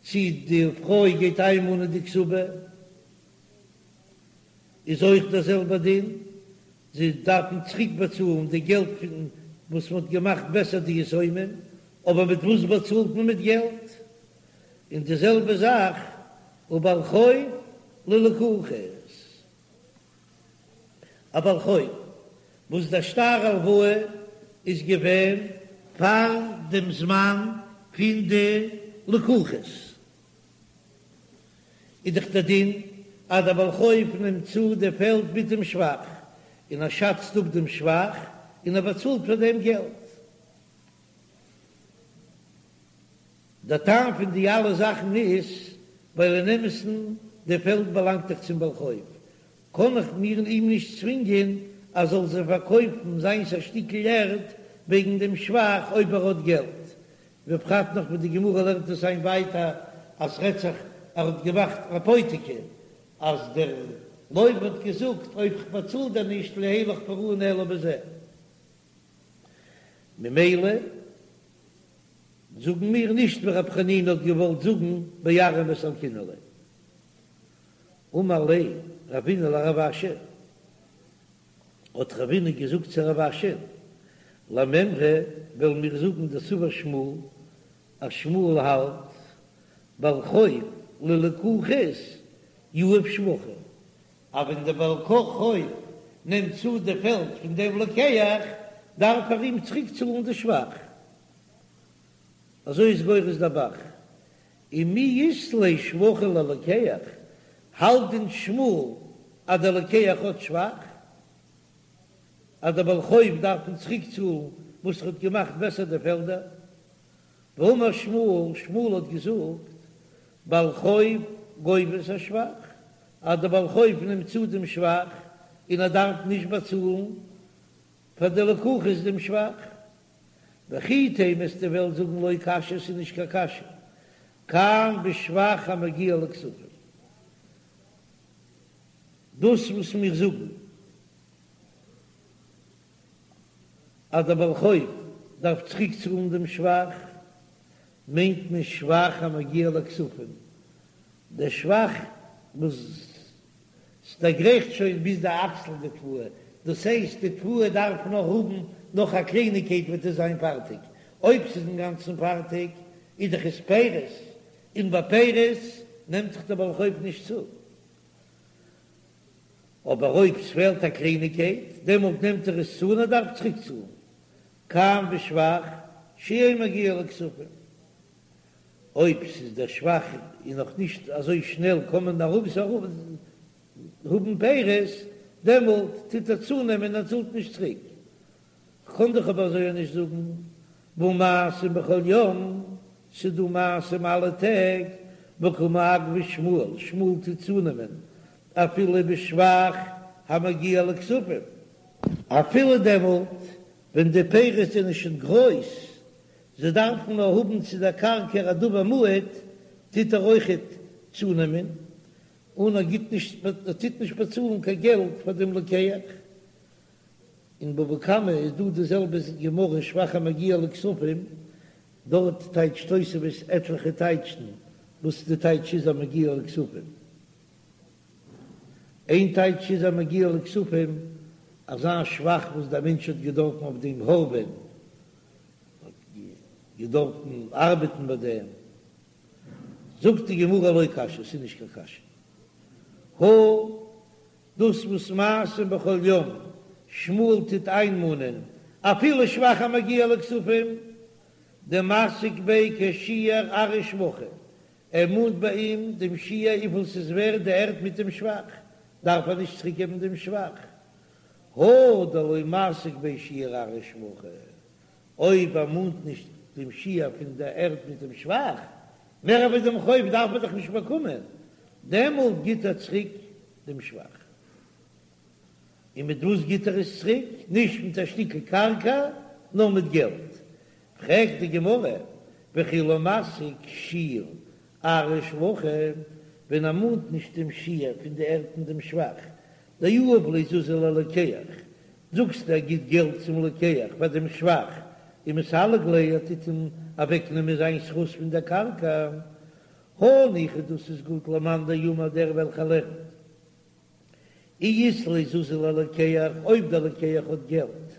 Speaker 1: צי די פרוי גייט איינמאנען די כתובה, איז אויך דער זעלבער דין, זיי דארפן צוריק באצאלן די געלט פון וואס מען האט געמאכט בעסער די יתומים, אבער מיט וואס באצאלט מען? מיט געלט. און די זעלבע זאך ובעל חוב ללקוחות. א בעל חוב וואס דער שטר הלוואה איז געווען פאר דעם זמן פון די לקוחות, איז דאך דער דין אז דער בעל חוב נעמט צו די פעלד מיט דעם שבח, און ער שאצט אפ דעם שבח און ער באצאלט פאר דעם געלט. דער טעם פון די אלע זאכן איז ווייל אין אמת'ן די פעלד באלאנגט דאך צום בעל חוב, קען איך מיר אים נישט צווינגען אז זאל זיי פארקויפן זיינס א שטיקל ערד וועגן דעם שבח אויב ער האט געלט, ובפרט נאך וואס די גמרא לערנט עס איין ווייטער אז ס'רעדט זיך ער האט געמאכט אפותיקי אז דער לוה האט געזאגט אויב כ'באצאל דיר נישט לא יהא לך פרעון אלא בזה ממילא זאגן מיר נישט ווי רב חנינא האט געוואלט זאגן בארעא מסלקינן ליה. אמר ליה רבינא לרב אשי, האט רבינא געזאגט צו רב אשי, למימרא וועלן מיר זאגן דסבר שמואל, אז שמואל האלט בעל חוב ללקוחות יהיב שבחא, אז ווען דער בעל חוב נעמט צו די פעלד פון דעם לוקח, דארף ער אים צוריק צאלן די שבח. אזוי איז גורס דער ב"ח. ומי אית ליה שבחא ללוקח, האלט דען שמואל אז דער לוקח האט שבח? אז דער בעל חוב דארף אים צוריק צאלן וואס ער האט געמאכט בעסער די פעלדער? והאמר שמואל, שמואל האט געזאגט, בעל חוב גובה את השבח, אז דער בעל חוב נעמט צו דעם שבח און ער דארף נישט באצאלן פאר די לקוחות דעם שבח. וכי תימא וועסטו וועלן זאגן לא קשיא ס'איז נישט קיין קשיא, כאן בשבח המגיע לכספים. דאס וואס מיר זאגן אז דער בעל חוב דארף צוריק צאלן דעם שבח, מיינט מען שבח המגיע לכספים, דער שבח וואס ס'דערגרייכט שוין ביז די אקסל די תבואה, דאס הייסט די תבואה דארף נאך האבן נאך א קלייניגקייט וועט עס זיין פארטיג, אויב ס'איז אינגאנצן פארטיג איז דאך עס פירות, און ביי פירות נעמט זיך דער בעל חוב נישט צו, אבער אויב ס'פעלט א קלייניגקייט דעמאלט נעמט ער עס צו און ער דארף צוריק צאלן, כאן בשבח שאין מגיע לכספים. אויב ס'איז דער שבח איז נאך נישט אזוי שנעל קען מען ארויס האבן פירות, דעמאלט טוט ער צונעמען און ער צאלט נישט צוריק. כ'קען דאך אבער אזוי נישט זאגן, והא מעשים בכל יום, ס'דא מעשים אלע טעג, וקא מעכבא שמואל, שמואל טוט צונעמען אפילו בשבח המגיע לכספים. אפילו דעמאלט ווען די פירות זענען שוין גרויס, זיי דארפן נאר האבן צו דער קרקע א דבר מועט, טוט ער אויכעט צונעמען, און ער גיט נישט, ער טוט נישט באצאלן קיין געלט פאר דעם לוקח. אין בבא קמא איז דא די זעלבע גמרא שבח המגיע לכספים, דארט טייטשט תוספות עטליכע טייטשן וואס די טייטש איז המגיע לכספים. איין טייטש איז המגיע לכספים, אזא שבח וואס דער מענטש האט געדארפן אויף דעם הארעווען, האט געדארפן ארבעטן ביי דעם, זאגט די גמרא לא קשיא, ס'איז נישט קיין קשיא, הא דאס וואס מעשים בכל יום שמואל טוט איינמאנען אפילו שבח המגיע לכספים, דמסיק ביה כשיעור ארעא ושבחא, ער מאנט ביי אים דעם שיעור וויפיל ס'איז ווערד די ערד מיט דעם שבח, דארף ער נישט צוריקגעבן דעם שבח, הא דלא מסיק ביה שיעור ארעא ושבחא, אויב ער מאנט נישט דעם שיעור פון דער ערד מיט דעם שבח, מער ווי דעם חוב דארף ער דאך נישט באקומען, דעמאלט גיט ער צוריק דעם שבח. און מיט וואס גיט ער עס צוריק? נישט מיט א שטיקל קרקע, נאר מיט געלט. פרעגט די גמרא, וכי לא מסיק שיעור ארעא ושבחא, ווען ער מאנט נישט דעם שיעור פון די ערד און דעם שבח, דיהיב ליה זוזי ללוקח, זאגסטו ער גיט געלט צום לוקח פאר דעם שבח, ומסלק ליה ער טוט אים אוועקנעמען זיין זכות פון דער קרקע, הניחא דאס איז גוט למאן דאמר דער וועלכער לערנט אי אית ליה זוזי ללוקח, אויב דער לוקח האט געלט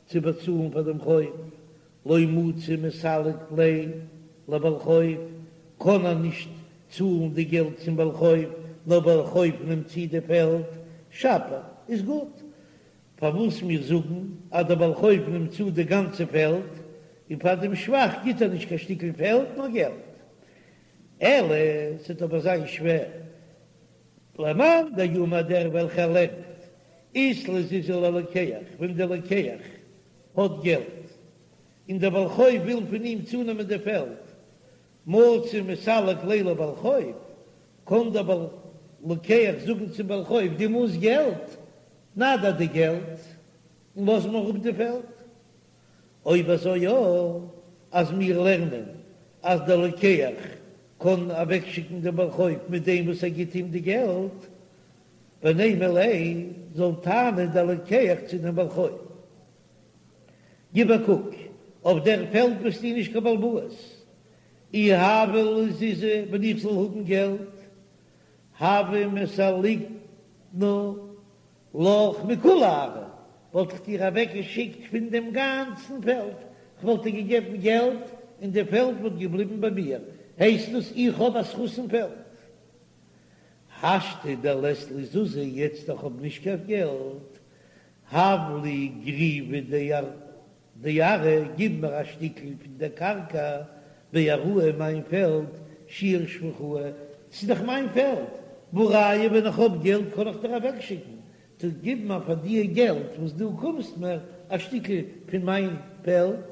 Speaker 1: צו באצאלן פאר דעם חוב, לא מצי מסלק ליה לבעל חוב, קען ער נישט צאלן די געלט צום בעל חוב, נאר בעל חוב נעמט צו די פעלד, שפיר, איז גוט. פארוואס מיר זאגן אז דער בעל חוב נעמט צו די גאנצע פעלד, און פאר דעם שבח גיט ער נישט קיין שטיקל פעלד נאר געלט. אלא ס'וועט אבער זיין שווער למאן דאמר דער וועלכער לערנט אית ליה זוזי ללוקח, ווען דער לוקח האט געלט און דער בעל חוב וויל פון אים צונעמען די פעלד, מצי מסלק ליה לבעל חוב, קען דער בעל לוקח זאגן צום בעל חוב, דו מאנסט געלט, נא דיר די געלט און לאז מיר אפ די פעלד. אויב אזוי יא, אז מיר לערנען אז דער לוקח קען אוועקשיקן דעם בעל חוב מיט דעם וואס ער גיט אים די געלט, ונימא ליה, זאל טענה'ן דער לוקח צו דעם בעל חוב, גיב א קוק, אויף דער פעלד ביסטו נישט קיין בעל הבית, אי הוה לי זוזי, ווען איך זאל האבן געלט, הוה מסלקנא לך מכולה ארעא, וואלט איך דיר אוועק געשיקט פון דעם גאנצן פעלד, כ'וואלט דיר געגעבן געלט און די פעלד וואלט געבליבן ביי מיר, הייסט דאס איך האב א זכות אין פעלד? השתא דלית לי זוזי, יעצט איך האב נישט קיין געלט, הב לי גריוא דארעא, גיב מיר א שטיקל פון דער קרקע, בארעאי מיין פעלד, שיעור שבחאי, ס'איז דאך מיין פעלד, והא ראיה ווען איך האב געלט קען איך דיר אוועקשיקן, טא גיב מיר פאר דיע געלט וואס דו קומסט מיר א שטיקל פון מיין פעלד.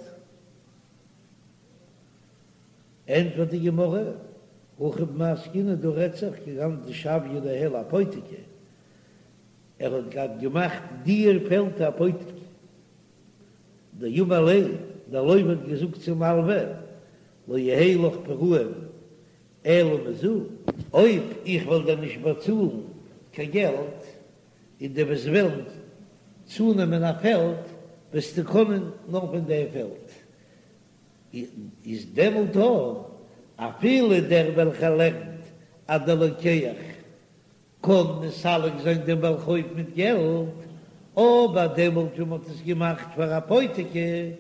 Speaker 1: ענטפערט די גמרא, הכא במאי עסקינן דא רעדט זיך כגון דשויה ניהלה אפותיקי, ער האט געהאט געמאכט דיע פעלד אפותיקי, דאמר ליה, דער לוה האט געזאגט צום מלווה, לא יהא לך פרעון אלא מזו, אויב איך וועל דיר נישט באצאלן קיין געלט. און דו וועסט וועלן צונעמען א פעלד, וועסטו קענען נאר פון דער פעלד. איז דעמאלט אויך אפילו דער וועלכער לערנט אז דער לוקח קען מסלק זיין דעם בעל חוב מיט געלט, אבער דעמאלט ווען מ'האט עס געמאכט פאר אפותיקי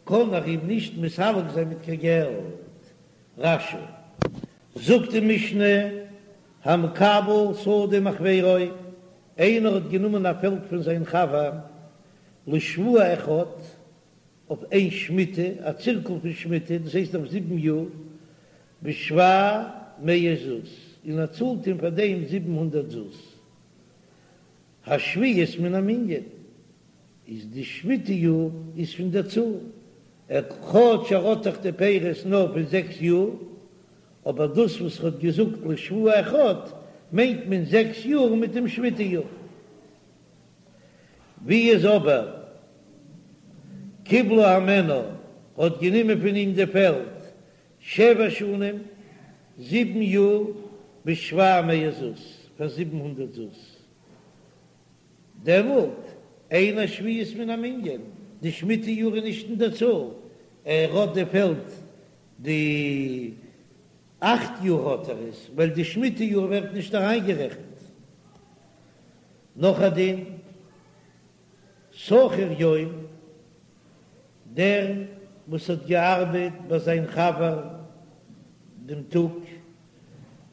Speaker 1: קען ער אים נישט מסלק זיין מיט קיין געלט. רש"י זאגט די משנה, המקבל שדה מחבירו, איינער האט גענומען א פעלד פון זיין חבר לשבוע אחד, אויף איין שמיטה, א צירקל פון שמיטה, דאס הייסט אויף זיבן יאר, בשבע מאות זוז, און ער צאלט אים פאר דעם 700 זוז. השביעית מן המנין, איז די שמיטה יאר איז פון דער צאל, ער כאטש ער האט דאך די פירות נאר פון זעקס יאר, אבער דאס וואס ער האט געזאגט לשבוע אחד מיינט מען זעקס יאר מיט דעם שמיטה יאר. ווי איז אבער קיבלה הימנו האט גענומען פון אים די פעלד שבע שנים, זיבן יאר, בשבע מאות זוז, פאר 700 זוז, דעמאלט אין השביעית מן המנין, די שמיטה יאר איז נישט אין דער צאל, ער האט די פעלד די אכט יאר האט ער עס, ווייל די שמיטה יאר ווערט נישט אריינגערעכנט. נאך א דין, שכיר יום, דער וואס האט געארבעט ביי זיין חבר דעם טאג,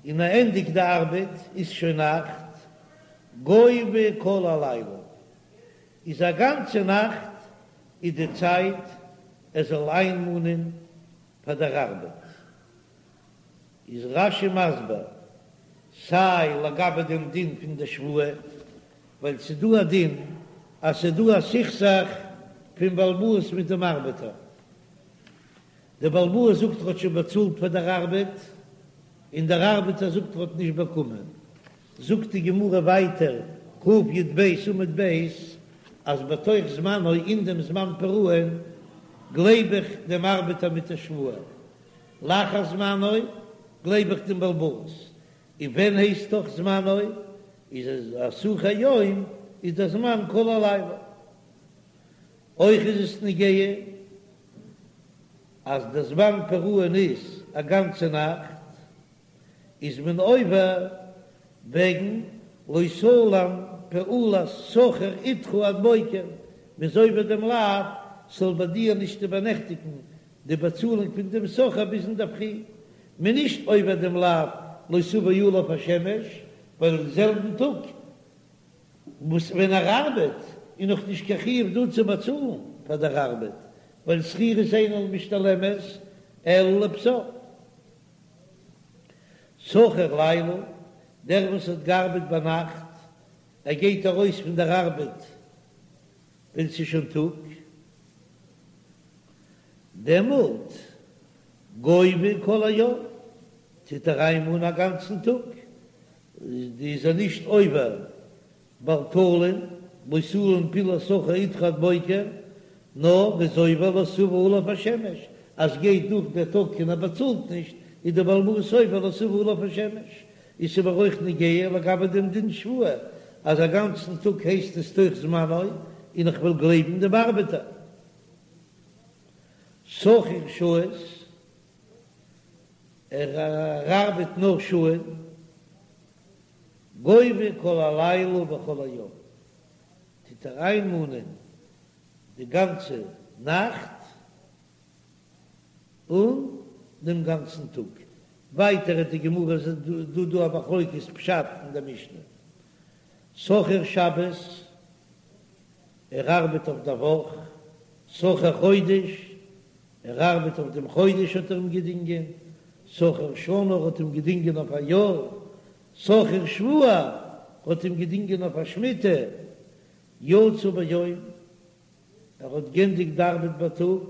Speaker 1: און ער ענדיגט די ארבעט איז שוין נאכט, גובה כל הלילה, איז א גאנצע נאכט איז די צייט ער זאל איינמאנען פאר דער ארבעט. איז רש"י מסביר, סיי לגבי דעם דין פון די שבועה, ווייל ס'איז דא א דין אז ס'איז דא א סכסוך פון בעל הבית מיט דעם ארבעטער, דער בעל הבית זאגט ער האט שוין באצאלט פאר דער ארבעט, און דער ארבעטער זאגט ער האט נישט באקומען, זאגט די גמרא ווייטער, קי"ב עמוד ב', אז בתוך זמנו אין דעם זמן פרעון גלייב איך דעם ארבעטער מיט א שבועה, לאחר זמנו גלייב איך דעם בעל הבית, און ווען הייסט תוך זמנו? איז א שכיר יום איז דער זמן כל הלילה. אויך איז עס נוגע אז דער זמן פרעון איז א גאנצע נאכט, איז מען עובר וועגן לא תלין פעולת שכיר אתך עד בוקר, מען איז עובר דעם לאו ס'זאל ביי דיר נישט איבערנעכטיגן די באצאלונג פון דעם שכיר ביז אינדערפרי, מען נישט עובר דעם לאו לא תבוא עליו השמש, ווייל אין זעלבן טאג וואס ווען ער ארבעט איז נאך נישט קיין חיוב דא צו באצאלן פאר דער ארבעט, ווייל שכירות אינה משתלמת אלא לבסוף. שכיר לילה, דער וואס האט געארבעט ביינאכט, ער גייט ארויס פון דער ארבעט ווען ס'איז שוין טאג, דעמאלט גובה כל היום, טוט ער איינמאנען א גאנצן טאג, איז ער נישט עובר בל תלין, לא תלין פעולת שכיר אתך עד בוקר, נאר איז עובר לא תבוא עליו השמש, אז גייט דורך דער טאג און ער באצאלט נישט, איז דער בעל הבית עובר לא תבוא עליו השמש, איז ס'אבער אויך נוגע לגבי דעם דין שבועה, אז א גאנצן טאג הייסט עס תוך זמנו, און איך וועל גלייבן דעם ארבעטער. שכיר שעות, ער ארבעט נאר שעה'ן, גובה כל הלילה וכל היום, טוט ער איינמאנען די גאנצע נאכט און דעם גאנצן טאג. ווייטער האט די גמרא איז דא דא א מחלוקת פשט אין דער משנה, שכיר שבת, ער ארבעט אויף דער וואך, שכיר חודש, ער ארבעט אויף דעם חודש האט ער אים געדינגען, שכיר שנה האט אים געדינגען אויף א יאר, שכיר שבוע האט אים געדינגען אויף א שמיטה, יצא ביום, ער האט גענדיגט די ארבעט בייטאג,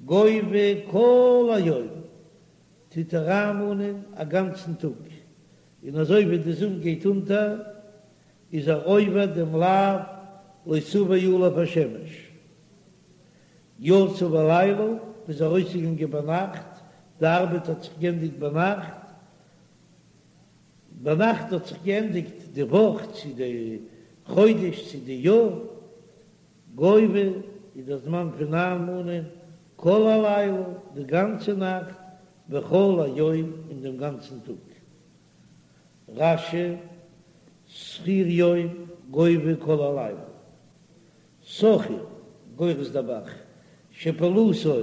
Speaker 1: גובה כל היום, טוט ער איינמאנען א גאנצן טאג, און אזוי ווי די זון גייט אונטער איז ער עובר דעם לאו לא תבוא עליו השמש. יצא בלילה, איז ארויסגעגאנגען ביינאכט, די ארבעט האט זיך גענדיגט ביינאכט, ביינאכט האט זיך געענדיגט די וואך צו די. חודש צו די יאר, גובה איז דער זמן פון איינמאנען כל הלילה די גאנצע נאכט וכל היום און דעם גאנצן טאג. רש"י, שכיר יום גובה כל הלילה. שכיר, גורס דער ב"ח, שפעולתו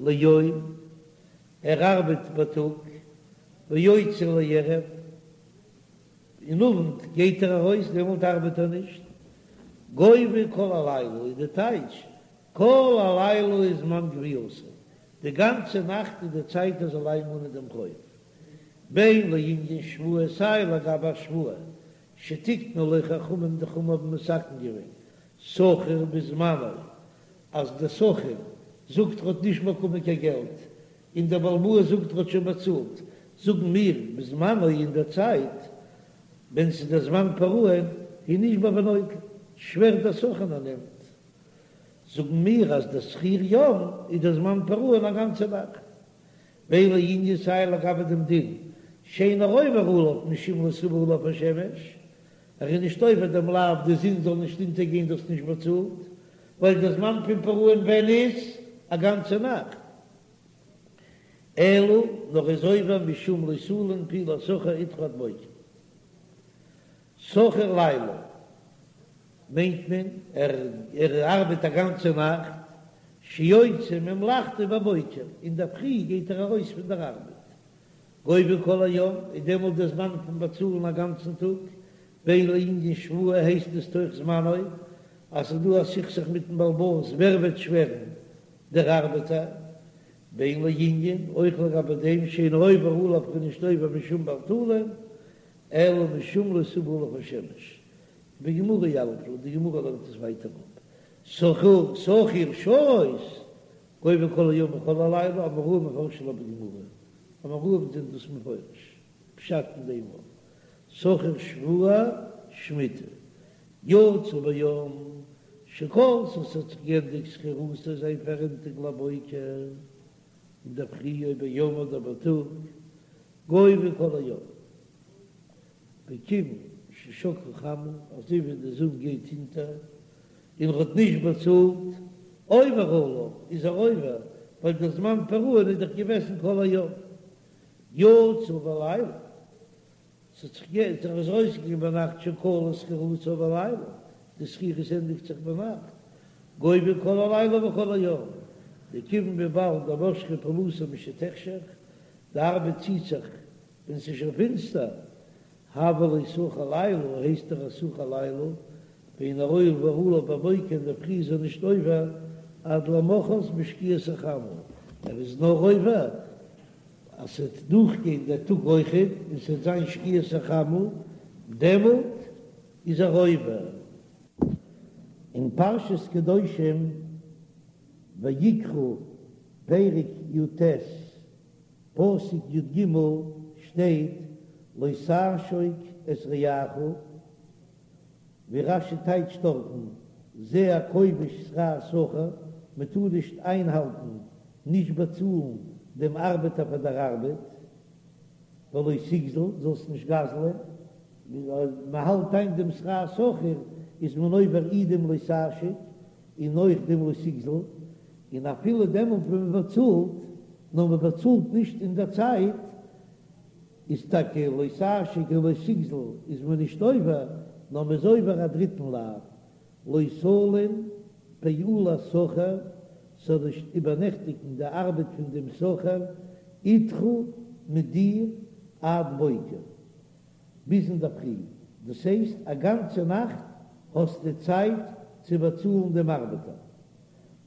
Speaker 1: ליום, ער ארבעט בייטאג, ויוצא לערב, אין אוונט גייט ער ארויס, דעמאלט ארבעט ער נישט. גובה כל הלילה איז די טייטש, כל הלילה איז זמן גבייתו, די גאנצע נאכט איז די צייט ער זאל איינמאנען דעם חוב. בין לענין שבועה סיי לגבי א שבועה שתיקנו לו חכמים די חכמים האבן מתקן געווען שכיר בזמנו אז דער שכיר זאגט ער האט נישט באקומען קיין געלט און דער בעל הבית זאגט ער האט שוין באצאלט זאגן מיר בזמנו אין דער צייט ווען ס'איז דער זמן פרעון הוא נשבע ונוטל שווערט דער שכיר און ער נעמט זאגן מיר אז דער שכיר יום איז דער זמן פרעון א גאנצע נאכט. בין לענין סיי לגבי דעם דין שאינו עובר עליו משום לא תבא עליו השמש, ער איז נישט עובר דעם לאו די זון זאל נישט אונטערגיין דו האסט נישט באצאלט, ווייל דער זמן פון פרעון ווען איז א גאנצע נאכט, אלא נאר איז עובר משום לא תלין פעולת שכיר אתך עד בוקר. שכיר לילה מיינט מען ער ארבעט א גאנצע נאכט, שיוצא ממלאכתו בבוקר, אינדערפרי גייט ער ארויס פון דער ארבעט, גובה כל היום, איז דעמאלט דער זמן פון באצאלן א גאנצן טאג, בין לענין שבועה הייסט עס תוך זמנו, אז ס'איז דא א סכסוך מיטן בעל הבית ווער וועט שווערן, דער ארבעטער, בין לענין, אויך לגבי דעם שאינו עובר עליו כ'בין נישט עובר משום בל תלין, אלא משום לא תבא עליו השמש, בגמרא יליף לה, די גמרא לערנט עס ווייטער אפ, שכיר שכיר שעות, גובה כל היום וכל הלילה, אמוראים מפרשי לה בגמרא, אמוראים זענען דאס מפרש, פשט אין דעם ווארט, שכיר שבוע שמיטה, יצא ביום שכלתה ס'האט זיך געענדיגט שכירותו זיין פאררענטונג לבוקר, אינדערפרי או ביום אדער בייטאג, גובה כל היום, וכיון ששקעה חמה, אזוי ווי די זון גייט אונטער, און ער האט נישט באצאלט, עובר עליו, איז ער עובר, ווייל דער זמן פרעון איז דאך געוועזן כל היום. יצא בלילה, ס'האט זיך גע, ער איז ארויסגעגאנגען ביינאכט שכלה שכירותו בלילה, די שכירות ענדיגט זיך ביינאכט, גובה כל הלילה וכל היום, דכיון וויבאלד דמשכה פעולתו משתחשך, די ארבעט ציט זיך ווען ס'איז שוין פינסטער, הוה ליה שכיר לילה, הייסט ער א שכיר לילה, ואינו עובר עליו בבוקר אינדערפרי איז ער נישט עובר עד למחרת בשקיעת החמה, ער איז נאר עובר אז ס'וועט דורכגיין דער טאג אויכעט און ס'וועט זיין שקיעת החמה, דעמאלט איז ער עובר. אין פרשת קדושים ויקרא פרק י"ט פסוק י"ג שטייט לא תעשוק את רעך, ווי רש"י טייטשט דארטן זה הכובש שכר שכיר, מען טאר נישט איינהאלטן, נישט באצאלן דעם ארבעטער פאר דער ארבעט, ולא תגזול, זאלסט נישט גזל'ען, מען האלט איין דעם שכר שכיר איז מען עובר אי דעם לא תעשוק און אויך דעם לא תגזול, און אפילו דעמאלט ווען מען באצאלט, נאר מען באצאלט נישט אין דער צייט, איז טאקע לא תעשוק און לא תגזול איז מען נישט עובר, נאר מען איז עובר א דריטן לאו, לא תלין פעולת שכיר, ס'זאל נישט איבערנעכטיגן די ארבעט פון דעם שכיר, אתך מיט דיר עד בוקר, ביז אינדערפרי, דאס הייסט א גאנצע נאכט האסטו צייט צו באצאלן דעם ארבעטער.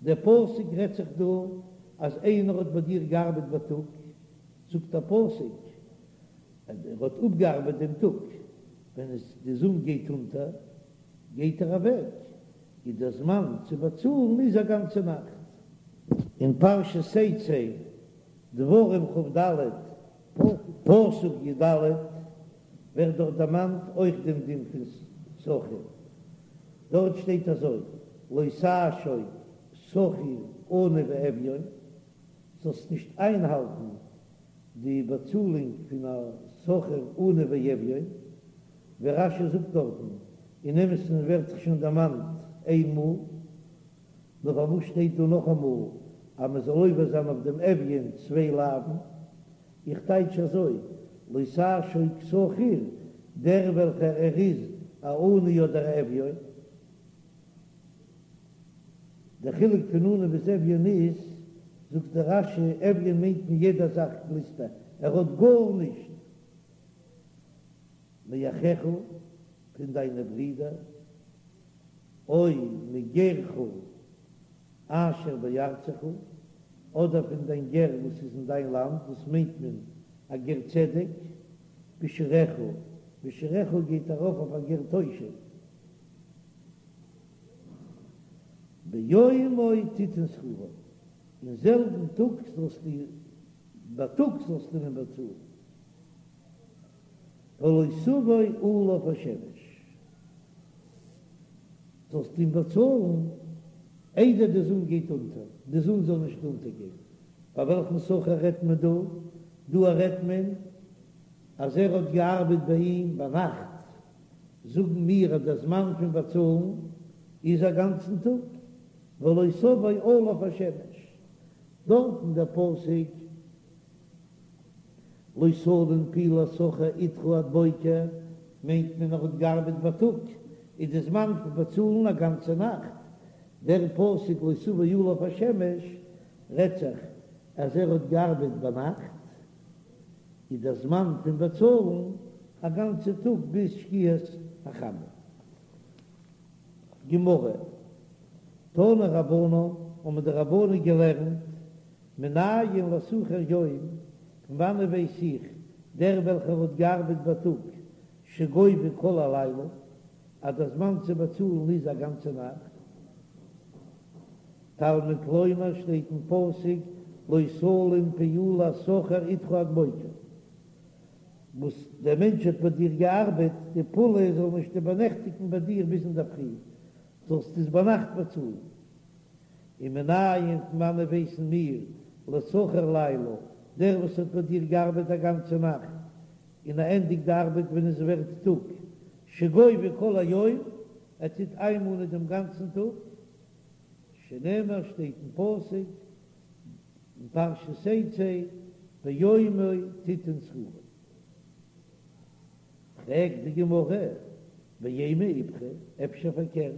Speaker 1: דער פסוק רעדט זיך דא אז איינער האט ביי דיר געארבעט בייטאג, זאגט דער פסוק אז ער האט אפגעארבעט דעם טאג, ווען עס די זון גייט אונטער גייט ער אוועק, איז דער זמן צו באצאלן איז א גאנצע נאכט. אין פרשת תצא, דברים כ"ד, פסוק י"ד, ווערט דארט דערמאנט אויך דעם דין פון שכיר, דארט שטייט אזוי, לא תעשוק שכיר עני ואביון, זאלסט נישט איינהאלטן די באצאלונג פון א שכיר עני ואביון, ווי רש"י זאגט דארטן. אין אמת'ן ווערט דאך שוין דערמאנט איין מאל, נאר פארוואס שטייט דא נאכאמאל אז מען זאל עובר זיין אויף דעם אביון צוויי לאווין? איך טייטש אזוי, לא תעשוק שכיר, דער וועלכער ער איז א עני אדער א אביון. דער חילוק פון עני ביז אביון איז, זאגט דער רש"י, אביון מיינט מען יעדע זאך גליסט ער, ער האט גארנישט. מאחיך, פון דיינע ברידער, או מגרך אשר בארצך, אדער פון דיין גר וואס איז אין דיין לאנד, דאס מיינט מען א גר צדק, בשעריך, בשעריך גייט ארויף אויף א גר תושב. ביומו תתן שכרו, אין זעלבן טאג זאלסטו, בייטאג זאלסטו אים באצאלן. ולא תבוא עליו השמש, זאלסט אים באצאלן איידער די זון גייט אונטער, די זון זאל נישט אונטערגיין. ביי וועלכן שכיר רעדט מען דא? דא רעדט מען אז ער האט געארבעט ביי אים ביינאכט, זאגן מיר אז דער זמן פון באצאלן איז א גאנצן טאג, ולא תבוא עליו השמש, דארטן דער פסוק לא תלין פעולת שכיר אתך עד בוקר, מיינט מען ער האט געארבעט בייטאג, איז די זמן פון באצאלן א גאנצע נאכט. דער פסוק לא תבוא עליו השמש רעדט זיך אז ער האט געארבעט ביינאכט, איז דער זמן פון באצאלן א גאנצע טאג ביז שקיעת החמה. גמרא, תנו רבנן, האבן די רבנן געלערנט, מנין לשכיר יום, פון וואנען ווייס איך, דער וועלכער האט געארבעט בייטאג, שגובה כל הלילה, אז דער זמן צו באצאלן איז א גאנצע נאכט. תלמוד לומר שטייט אין פסוק לא תלין פעולת שכיר אתך עד בוקר, וואס דער מענטש האט ביי דיר געארבעט, די פעולה זאל נישט איבערנעכטיגן ביי דיר ביז אינדערפרי, זאלסטו עס ביינאכט באצאלן. ומנין פון וואנען ווייסן מיר לשכיר לילה, דער וואס האט ביי דיר געארבעט א גאנצע נאכט, און ער ענדיגט די ארבעט ווען עס ווערט טאג, שגובה כל היום, ער טוט איינמאנען דעם גאנצן טאג, שנאמר שטייט אין פסוק אין פרשת תצא, ביומו תתן שכרו. פרעגט די גמרא, ואימא איפכא, אפשר פארקערט,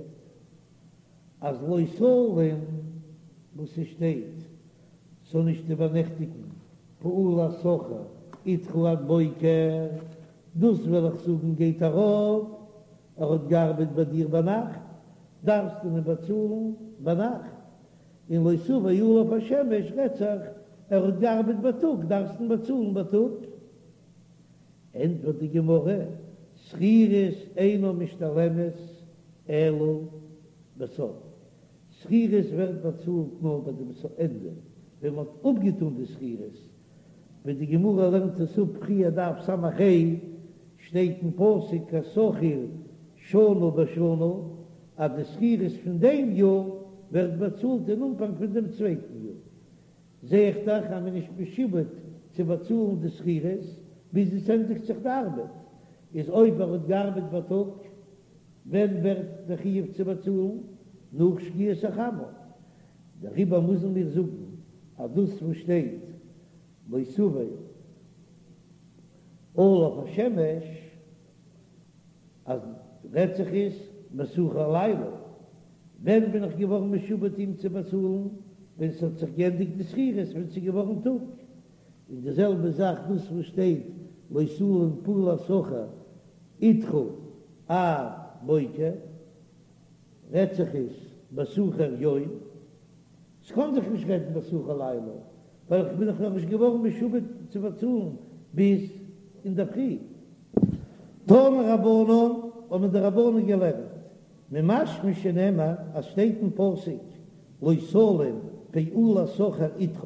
Speaker 1: אז לא תלין וואס ס'שטייט זאל נישט איבערנעכטיגן פעולת שכיר אתך עד בוקר, דאס וועל איך זאגן גייט ארויף, ער האט געארבעט ביי דיר ביינאכט, דארפסטו אים באצאלן ביינאכט, און לא תבוא עליו השמש רעדט זיך ער האט געארבעט בייטאג דארפסטו אים באצאלן בייטאג. ענטפערט די גמרא, שכירות אינה משתלמת אלא בסוף, שכירות ווערט באצאלט נאר ביי דעם ענדע, ווען מען האט אפגעטאן די שכירות, ווי די גמרא לערנט עס אפ פריער דף ס"ה, שטייט אין פסוק כשכיר שנה בשנה, אז די שכירות פון דעם יאר ווערט באצאלט אין אנפאנג פון דעם צווייטן יאר. זע איך דאך אז מען איז נישט משועבד צו באצאלן די שכירות ביז עס ענדיגט זיך די ארבעט, איז אויב ער האט געארבעט בייטאג, ווען ווערט דער חיוב צו באצאלן? נאך שקיעת החמה. דעריבער מוזן מיר זאגן אז דאס וואס שטייט לא תבוא עליו השמש אז רעדט זיך איז בשכיר לילה, ווען בין איך געווארן משועבד אים צו באצאלן? ווען ס'האט זיך געענדיגט די שכירות, ווען ס'איז געווארן טאג. און די זעלבע זאך דאס וואס שטייט לא תלין פעולת שכיר אתך עד בוקר, רעדט זיך איז בשכיר יום, ס'קען זיך נישט רעדן בשכיר לילה, ווייל איך בין דאך נאכנישט געווארן משועבד צו באצאלן ביז אינדערפרי. תנו רבנן, האבן די רבנן געלערנט, ממשמע שנאמר אז שטייט אין פסוק לא תלין פעולת שכיר אתך,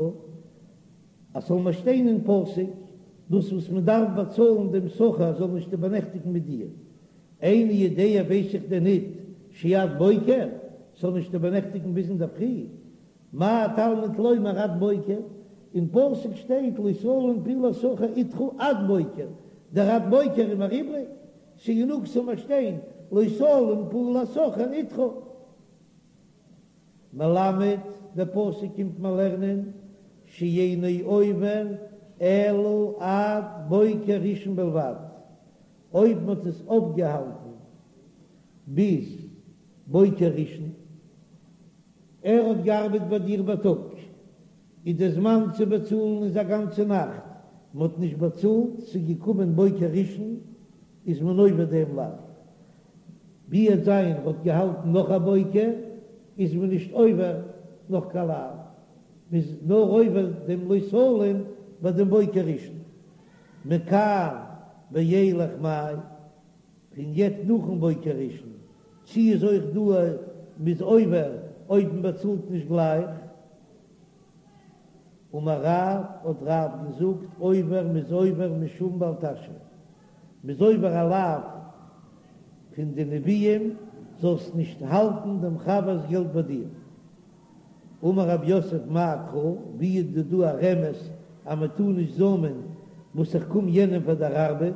Speaker 1: אז ס'זאל נאר שטיין אין פסוק דאס וואס מען דארף באצאלן דעם שכיר זאל נישט איבערנעכטיגן מיט דיר, איני יודע ווייס איך דען ניט שעד בוקר, ס'זאל נישט איבערנעכטיגן ביז אינדערפרי, מה תלמוד לומר עד בוקר, אין פסוק שטייט לא תלין פעולת שכיר אתך עד בוקר, דער עד בוקר איז מיר איבריג, ס'גענוג ס'זאל מיר שטיין. לא תלין פעולת שכיר אתך. מלמד, דער פסוק קומט מיר לערנען שאינו עובר אלא עד בוקר ראשון בלבד, אויב מען האט עס אויפגעהאלטן ביז בוקר ראשון, ער האט געארבעט ביי דיר בייטאג, איז די זמן צו באצאלן איז א גאנצע נאכט, מען האט נישט באצאלט, ס'איז געקומען בוקר ראשון, איז מען עובר דעם לאו. ווי וועט זיין ער האט געהאלטן נאך א בוקר, איז מען נישט עובר נאך קיין לאו, מען איז נאר עובר דעם לא תלין ביי דעם בוקר ראשון. מכאן ואילך מאי, פון יעצט נאכן בוקר ראשון, צי איז אויך דא מ'איז עובר אויב מען באצאלט נישט גלייך? אמר רב, האט רב געזאגט, עובר מ'איז עובר משום בל תשעה, מ'איז עובר א לאו פון די נביאים, זאלסט נישט האלטן דעם חבר'ס געלט ביי דיר. אמר רב יוסף מאי קרא, ווי איז דא דא א רמז אז מען טאר נישט זאמען וואס איך קום יענעם פאר דער ארבעט?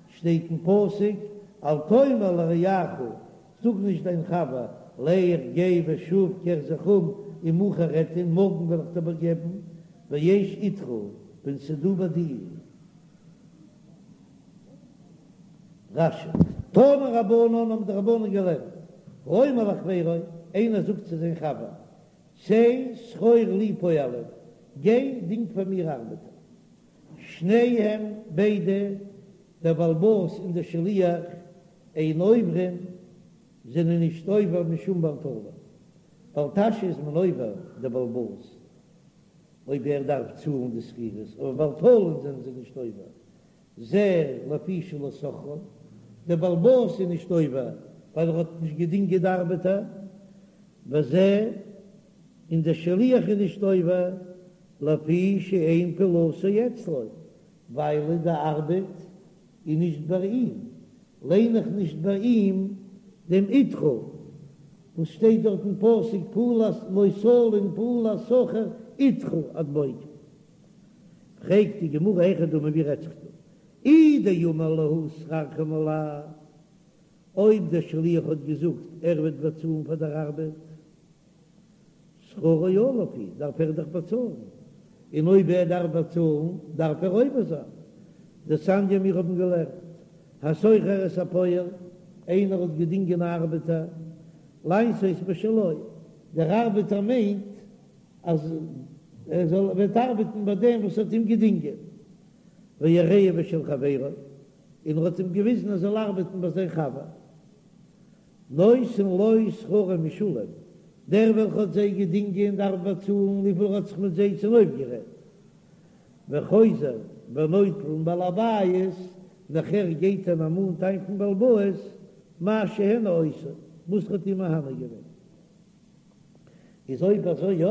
Speaker 1: שטייט אין פסוק אל תאמר לרעך, זאג נישט דיין חבר, לך גיי ושוב קער זיך אום ומחר אתן, מארגן וועל איך דיר איבערגעבן, ויש אתך, ווען ס'איז דא ביי דיר. רש"י, תנו רבנן האבן די רבנן געלערנט, האומר לחבירו, איינער זאגט צו זיין חבר, צא שכור לי פועלים, גיי דינג פאר מיר ארבעטער. שניהם, ביידע, דער בעל הבית און דער שליח, אין עוברין, זענען נישט עובר משום בל תלין. בל תשעה איז מען עובר דער בעל הבית אויב ער דארף צאלן די שכירות, אבער בל תלין זענען זיי נישט עובר, זה לפי שלא שכרן, דער בעל הבית איז נישט עובר ווייל ער האט נישט געדינגען די ארבעטער, וזה, און דער שליח איז נישט עובר לפי שאין פעולתו אצלו, ווייל די ארבעט איז נישט ביי אים, ליין איך נישט ביי אים דעם אתך וואס שטייט דארט אין פסוק פעולת לא תלין פעולת שכיר אתך עד בוקר. פרעגט די גמרא היכי דמי ווי רעדט זיך דא אי דאמר להו שכרכם עלי, אויב דער שליח האט געזאגט ער וועט באצאלן פאר דער ארבעט, שכרו עליו הוא, דארף ער דאך באצאלן, און אויב ער דארף באצאלן דארף ער עובר זיין. דתניא מיר האבן געלערנט, השוכר את הפועל, איינער האט געדינגען א ארבעטער, לעשות בשלו, דער ארבעטער מיינט אז ער זאל וועט ארבעטן ביי דעם וואס האט אים געדינגען, ויראהו בשל חברו, און ער האט אים געוויזן ער זאל ארבעטן ביי זיין חבר. נותן לו שכרו משולם, דער וועלכער האט זיי געדינגען דארף באצאלן וויפיל ער האט זיך מיט זיי צונויפגערעדט, וחוזר ונוטל מבעל הבית, נאכער גייט ער און מאנט איין פון בעל הבית מה שהנה אותו, וואס ער האט אים מהנה געווען. איז אויב אזוי יא,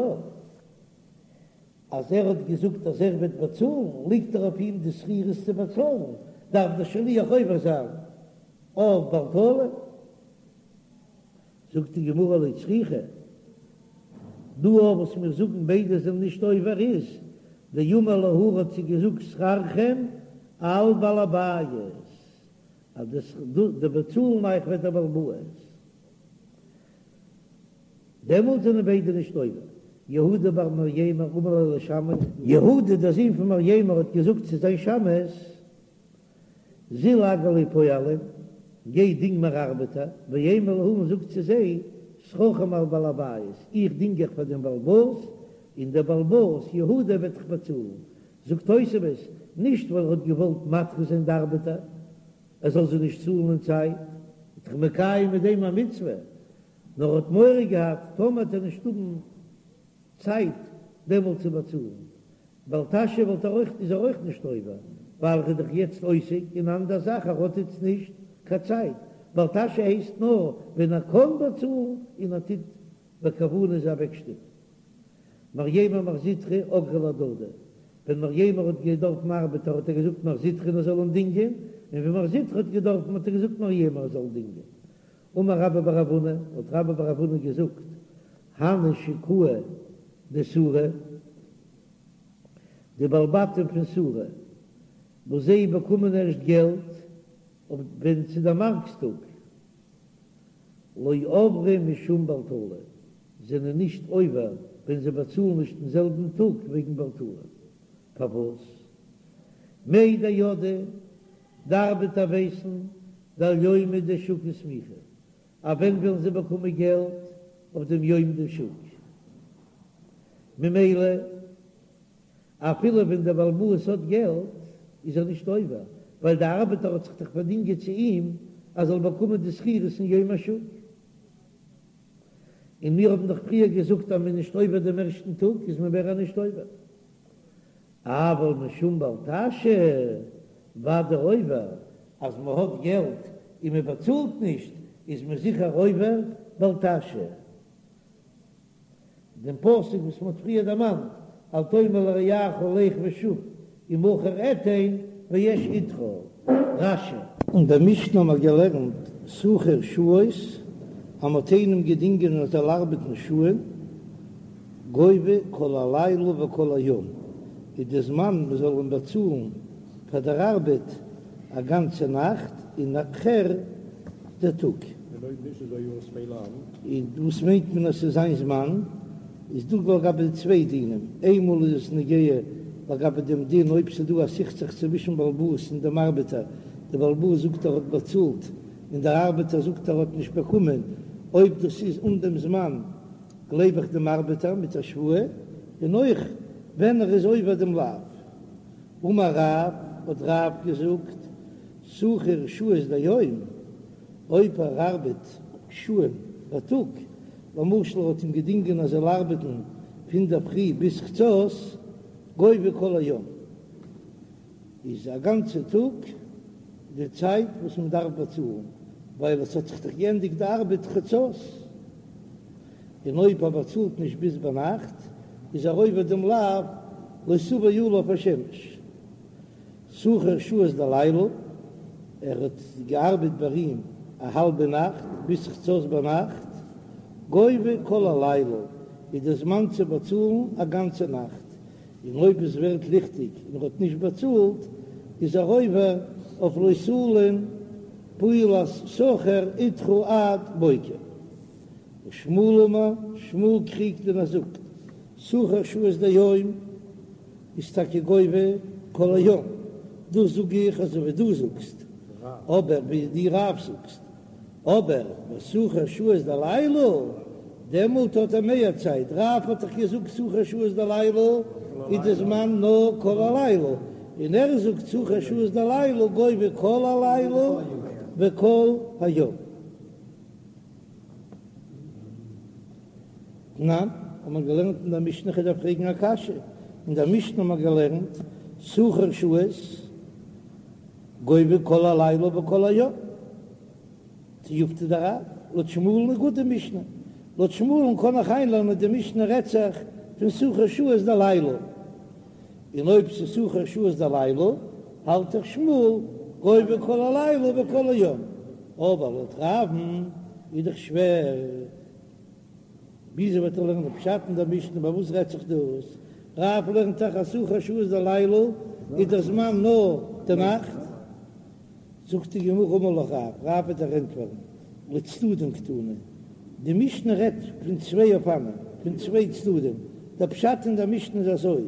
Speaker 1: אז ער האט געזאגט אז ער וועט באצאלן, ליגט דאך אויף אים די שכירות צו באצאלן, דארף דער שליח עובר זיין אויף בל תלין. זאגט די גמרא לא צריכא, דא אויף וואס מיר זאגן ביידע זענען נישט עובר איז דאמר להו ער האט זיי געזאגט שכרכם על בעל הבית, אז די באצאלן אייך וועט דער בעל הבית. דעמאלט זענען ביידע נישט עובר. יהודה בר מרימר אמר ליה לשמעיה, יהודה דער זון פון מרימר האט געזאגט צו זיין שמש, זיל אגר לי פועלים, גיי דינג מיר ארבעטער, ואימא להו און זאג צו זיי, שכרכם על בעל הבית, איך דינג אייך פאר דעם בעל הבית, און דער בעל הבית, יהודה, וועט אייך באצאלן. זאגט תוספות, נישט ווייל ער האט געוואלט מטעה זיין די ארבעטער, ער זאל זיי נישט צאלן אין צייט, איז דאך מקיים מיט דעם א מצוה, נאר האט מורא געהאט טאמער וועט ער נישט האבן צייט דעמאלט צו באצאלן, בל תשעה וואלט ער אויך איז ער אויך נישט עובר, ווייל ער איז דאך יעצט עוסק אין אנדער זאך ער האט איצט נישט קיין צייט, בל תשעה הייסט נאר ווען ער קען באצאלן און ער טוט בכוונה זיי אוועקשטופן. מרימר מר זוטרא אגריה להדדי, ווען מרימר האט געדארפן ארבעטער האט ער געזאגט מר זוטרא ער זאל אים דינגען, און ווען מר זוטרא האט געדארפן האט ער געזאגט מרימר ער זאל דינגען. אמר רבה בר רב הונא, האט רבה בר רב הונא געזאגט, הני שקאי דסורא, די בעלי בתים פון סורא, וואס זיי באקומען ערשט געלט אויף ווען ס'איז דער מארקס טאג. לא עברי משום בל תלין, זענען נישט עובר ווען זיי באצאלן נישט אין זעלבן טאג וועגן בל תלין. פארוואס? מידע ידעי, די ארבעטער ווייסן דאיומא דשוקא סמיכי, אז ווען וועלן זיי באקומען געלט אויף דעם יום דשוק? ממילא אפילו ווען דער בעל הבית האט געלט איז ער נישט עובר, ווייל דער ארבעטער האט זיך דאך פארדינגען צו אים אז ער זאל באקומען די שכירות אין יום השוק. און מיר האבן דאך פריער געזאגט אז מען איז נישט עובר דעם ערשטן טאג, איז מען מער נישט עובר. אבל משום בל תשהה, ודאי עובר, אז מען האט געלט און מען באצאלט נישט, איז מען זיכער עובר בל תשהה. דעם פסוק וואס מען האט פריער דערמאנט, אל תאמר לרעך לך ושוב ומחר אתן והאש אתך, רש"י. אין דער משנה האבן מיר געלערנט שכיר שעות, אז מען האט איינעם געדינגען ער זאל ארבעטן שעה'ן, גובה כל הלילה וכל היום, איז די זמן מען זאל אים באצאלן פאר דער ארבעט א גאנצע נאכט און נאכער דער טאג. און וואס מיינט מען אז ס'איז זיין זמן? איז דא לגבי צוויי דינים, איינמאל איז עס נוגע לגבי דעם דין אויב ס'איז דא א סכסוך צווישן בעל הבית און דעם ארבעטער, דער בעל הבית זאגט ער האט באצאלט און דער ארבעטער זאגט ער האט נישט באקומען, אויב דאס איז אן דעם זמן גלייב איך דעם ארבעטער מיט א שבועה, און אויך ווען ער איז עובר דעם לאו. אמר רב, האט רב געזאגט, שכיר שעות דיום, אויב ער ארבעט שעה'ן בייטאג, למשל ער האט אים געדינגען ער זאל ארבעטן פון דער פרי ביז חצות, גובה כל היום, איז א גאנצע טאג די צייט וואס מען דארף באצאלן, ווייל עס האט זיך דאך געענדיגט די ארבעט חצות, און אויב ער באצאלט נישט ביז ביינאכט, איז ער עובר דעם לאו לא תבוא עליו השמש. שכיר שעות דלילה, ער האט געארבעט ביי אים א האלבע נאכט ביז חצות ביינאכט, גובה כל הלילה, איז די זמן צו באצאלן א גאנצע נאכט, און אויב עס ווערט ליכטיג און ער האט נישט באצאלט, איז ער עובר אויף לא תלין פעולת שכיר אתך עד בוקר. ושמואל אמר, שמואל קריגט און ער זאגט, שכיר שעות דיום איז טאקע גובה כל היום, דאס זאג איך אזוי ווי דו זאגסט, אבער ווי דו רב זאגסט, אבער בשכיר שעות דלילה, דעמאלט האט ער מער צייט, רב האט דאך געזאגט שכיר שעות דלילה איז די זמן נאר כל הלילה, און ער זאגט שכיר שעות דלילה גובה כל הלילה וכל היום. תנן, האט מען געלערנט אין דער משנה, כ'דארף פרעגן א קשיא, אין דער משנה האט מען געלערנט שכיר שעות גובה כל הלילה וכל היום, תיובתא דרב, לויט שמואל'ן איז גוט די משנה, לויט שמואל'ן קען איך איינלערנען די משנה רעדט זיך פון שכיר שעות דלילה, און אויב ס'איז שכיר שעות דלילה האלט דאך שמואל גובה כל הלילה וכל היום, אבער לויט רב'ן איז דאך שווער. וויאזוי וועט ער לערנען פשט אין דער משנה ביי וואס רעדט זיך דאס? רב לערנט דאך אז שכיר שעות דלילה איז דער זמן נאר די נאכט. זאגט די גמרא אמר לך רב, רב וועט דיר ענטפערן, לצדדים קתני, די משנה רעדט פון צוויי אופנים, פון צוויי צדדים, דער פשט אין דער משנה איז אזוי,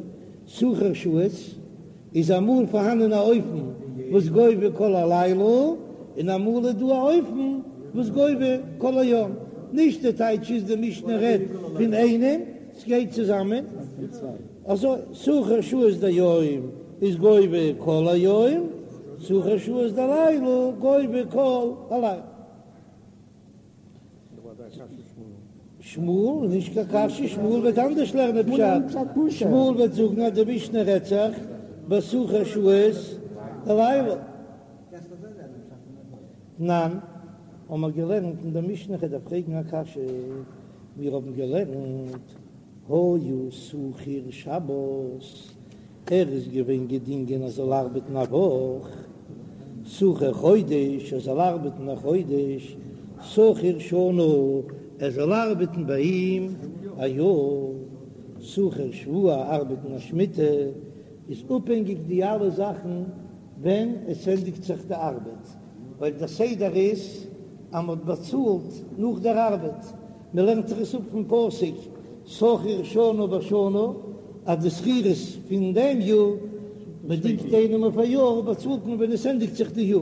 Speaker 1: שכיר שעות איז אמאל פארהאנען א אופן וואס גובה כל הלילה, און אמאל איז דא א אופן וואס גובה כל היום, נישט די טייטש איז די משנה רעדט פון איינעם, ס'גייט צוזאמען, אזוי שכיר שעות דיום איז גובה כל היום, שכיר שעות דלילה גובה כל הלילה. שמואל, נישט קיין קשיא, שמואל וועט אנדערש לערנען פשט, שמואל וועט זאגן אז די משנה רעדט זיך בשכיר שעות דלילה. תנן, האבן מיר געלערנט אין דער משנה, כ'דארף פרעגן א קשיא, מיר האבן געלערנט היה שכיר שבת, ער איז געווען געדינגען ער זאל ארבעטן א וואך, שכיר חודש, ער זאל ארבעטן א חודש, שכיר שנה, ער זאל ארבעטן ביי אים א יאר, שכיר שבוע, ארבעטן א שמיטה, איז אפהענגיק די אלע זאכן ווען עס ענדיגט זיך די ארבעט, ווייל דער סדר איז. אז מ'האט באצאלט נאך דער ארבעט, מ'לערנט זיך עס אפ פון פסוק שכיר שנה בשנה, אז די שכירות פון דעם יאר, מ'דינגט איינעם אויף א יאר, באצאלט מען ווען עס ענדיגט זיך די יאר.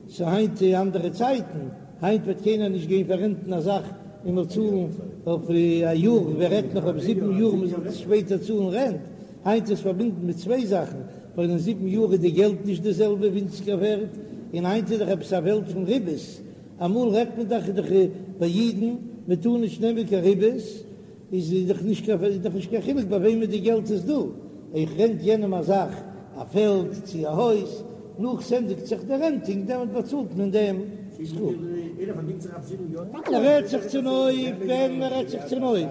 Speaker 1: ס'איז היינט אנדערע צייטן, היינט וועט קיינער נישט גיין פאררענטן א זאך און מ'זאל צאלן אויף א יאר, ווער רעדט נאך אויף זיבן יאר מ'זאל שפעטער צאלן רענט, היינט איז פארבינדן מיט צוויי זאכן, ווייל אין זיבן יאר איז די געלט נישט די זעלבע ווינציגער ווערט, און היינט איז דאך עפעס א וועלט פון ריבית, אמאל רעדט מען דאך דאך ביי אידן מען טאר נישט נעמען קיין ריבית, איז דאך נישט קיין איז דאך נישט קיין חילוק ביי וועמען די געלט איז דא, איך רענט יענעם א זאך, א פעלד צו א הויז, נאך ס'ענדיגט זיך די רענטינג דעמאלט באצאלט מען דעם סכום. מ'רעדט זיך צונויף ווען מ'רעדט זיך צונויף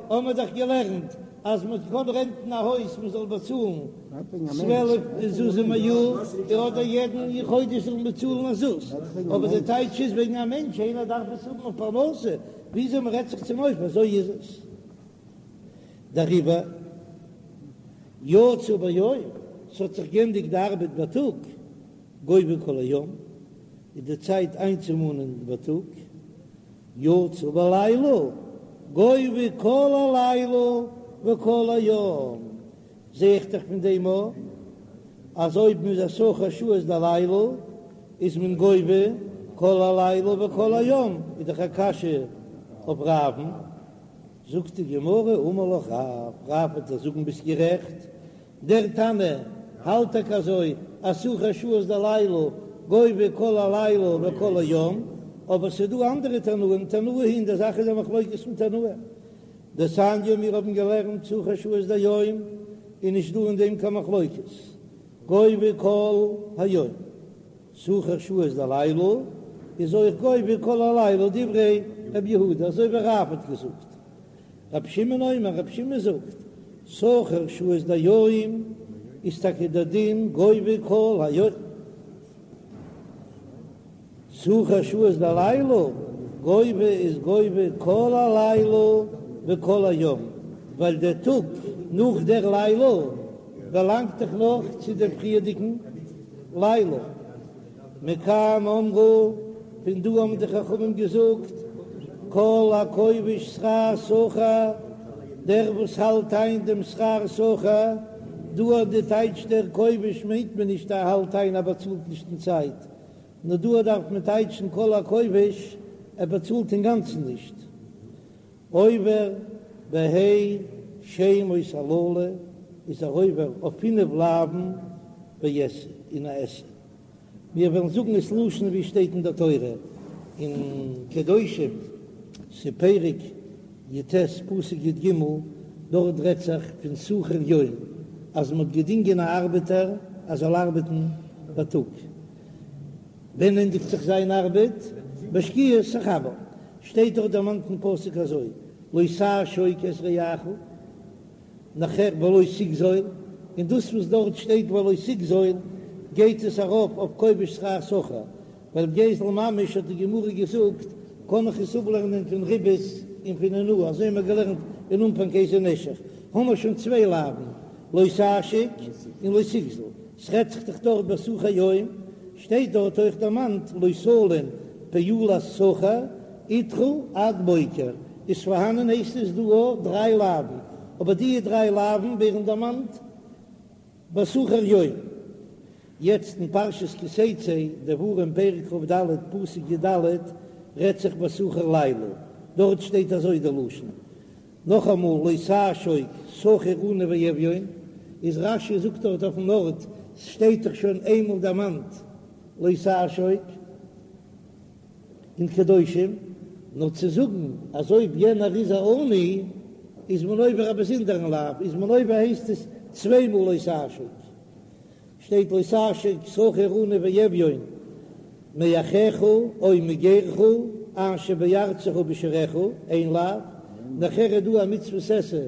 Speaker 1: האבן מיר דאך געלערנט אז מען קען רענטן א הויז מען זאל באצאלן 12 זוזים א יאר, אדער יעדן חודש זאל מען באצאלן א זוז, אבער די טייטש איז וועגן א מענטש איינער דארף עס האבן אויף פרנסה, וויאזוי מען רעדט זיך צונויף אזוי איז עס. דעריבער יצא ביום, ס'האט זיך גענדיגט די ארבעט בייטאג, גובה כל היום, איז די צייט איינצומאנען בייטאג, יצא בלילה, גובה כל הלילה וכל היום, זע איך דאך פון דעם א אז אויב מ'איז א שוכר שעות דלילה איז מען גובה כל הלילה וכל היום, איז דאך א קשיא אויף רב'ן, זאגט די גמרא אמר לך רב, רב וועט דיר זאגן ביסט גערעכט, דער תנא האלט טאקע אזוי אז שוכר שעות דלילה גובה כל הלילה וכל היום, אבער ס'איז דא אנדערע תנאים, תנאי היא, אין דער זאך איז א מחלוקת פון תנאים. דתניא מיר האבן געלערנט שוכר שעות דיום איז נישט דא אין דעם קיין מחלוקת, גובה כל היום, שוכר שעות דלילה איז אויך גובה כל הלילה דברי רבי יהודה אזוי ווי רב האט געזאגט. רבי שמעון אומר, רבי שמעון זאגט, שוכר שעות דיום איז טאקע דער דין גובה כל היום, שוכר שעות דלילה גובה איז גובה כל הלילה וכל היום, ווייל דער טאג נאך דער לילה באלאנגט דאך נאך צו דעם פריערדיגן לילה. מכאן אמרו, פון דא האבן די חכמים געזאגט, כל הכובש שכר שכיר, דער וואס האלט איין דעם שכר שכיר, דא האט די טייטש דער כובש מיינט מען נישט ער האלט איין ער באצאלט נישט אין צייט, נאר דא דארף מען טייטשן כל הכובש ער באצאלט אינגאנצן נישט. עובר בה' שמות הללו איז ער עובר אויף פינף לאווין ועשה און א עשה. מיר וועלן זאגן עס לשון ווי עס שטייט אין דער תורה אין קדושים, ס'פרק י"ט פסוק י"ג, דארט רעדט זיך פון שכיר יום אז מען האט געדינגען א ארבעטער אז זאל ארבעטן בייטאג, ווען ענדיגט זיך זיין ארבעט? בשקיעת החמה, שטייט דארט דערמאנט אין פסוק אזוי לא תעשוק את רעך. נאכער ולא תגזול, און דאס וואס דארט שטייט ולא תגזול גייט עס ארויף אויף כובש שכר שכיר, ווייל גזל ממש האט די גמרא געזאגט קען איך עס אפלערנען פון ריבית און פון אונאה, אזוי האבן מיר געלערנט אין אנפאנג איזהו נשך, האמער שוין צוויי לאווין, לא תעשוק און לא תגזול, ס'רעדט זיך דאך דארט בשכיר יום, שטייט דארט אויך דערמאנט לא תלין פעולת שכיר אתך עד בוקר, איז פארהאנען הייסט עס דא אויך דריי לאווין, אבער די דריי לאווין ווערן דערמאנט בשכיר יום. יעצט אין פרשת כי תצא, דברים פרק כ"ד פסוק י"ד, רעדט זיך בשכיר לילה, דארט שטייט אזוי די לשון, נאכאמאל לא תעשוק שכיר עני ואביון, איז רש"י זאגט דארט אויפן ארט, ס'שטייט דאך שוין איינמאל דערמאנט לא תעשוק, אין קדושים, נאר צו זאגן אז אויב יענער איז א עני איז מען עובר א באזונדערן לאו, איז מען עובר הייסט עס צוויי מאל לא תעשוק, שטייט לא תעשוק שכיר עני ואביון מאחיך או מגרך אשר בארצך בשעריך, איין לאו, נאכער איז דא א מצוות עשה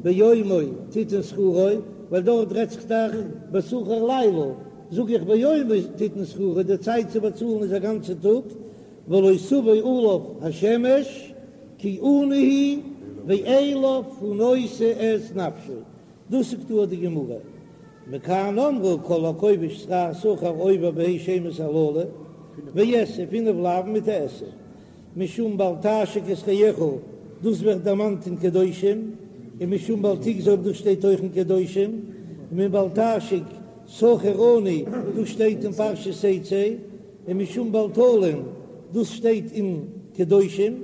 Speaker 1: ביומו תתן שכרו, ווייל דארט רעדט זיך דאך בשכיר לילה, זאג איך ביומו תתן שכרו, די צייט צו באצאלן איז א גאנצע טאג, ולא תבא עליו השמש כי עני הוא ואליו הוא נושא את נפשו, דאס זאגט דא די גמרא, מכאן אמרו כל הכובש שכר שכיר עובר בה' שמות הללו, ועשה פינף לאווין מיט א עשה. משום בל תעשוק את רעך, דאס ווערט דערמאנט אין קדושים, און משום בל תגזול דאס שטייט אויך אין קדושים, און בל תעשוק שכיר עני דאס שטייט אין פרשת תצא, און משום בל תלין דאס שטייט אין קדושים,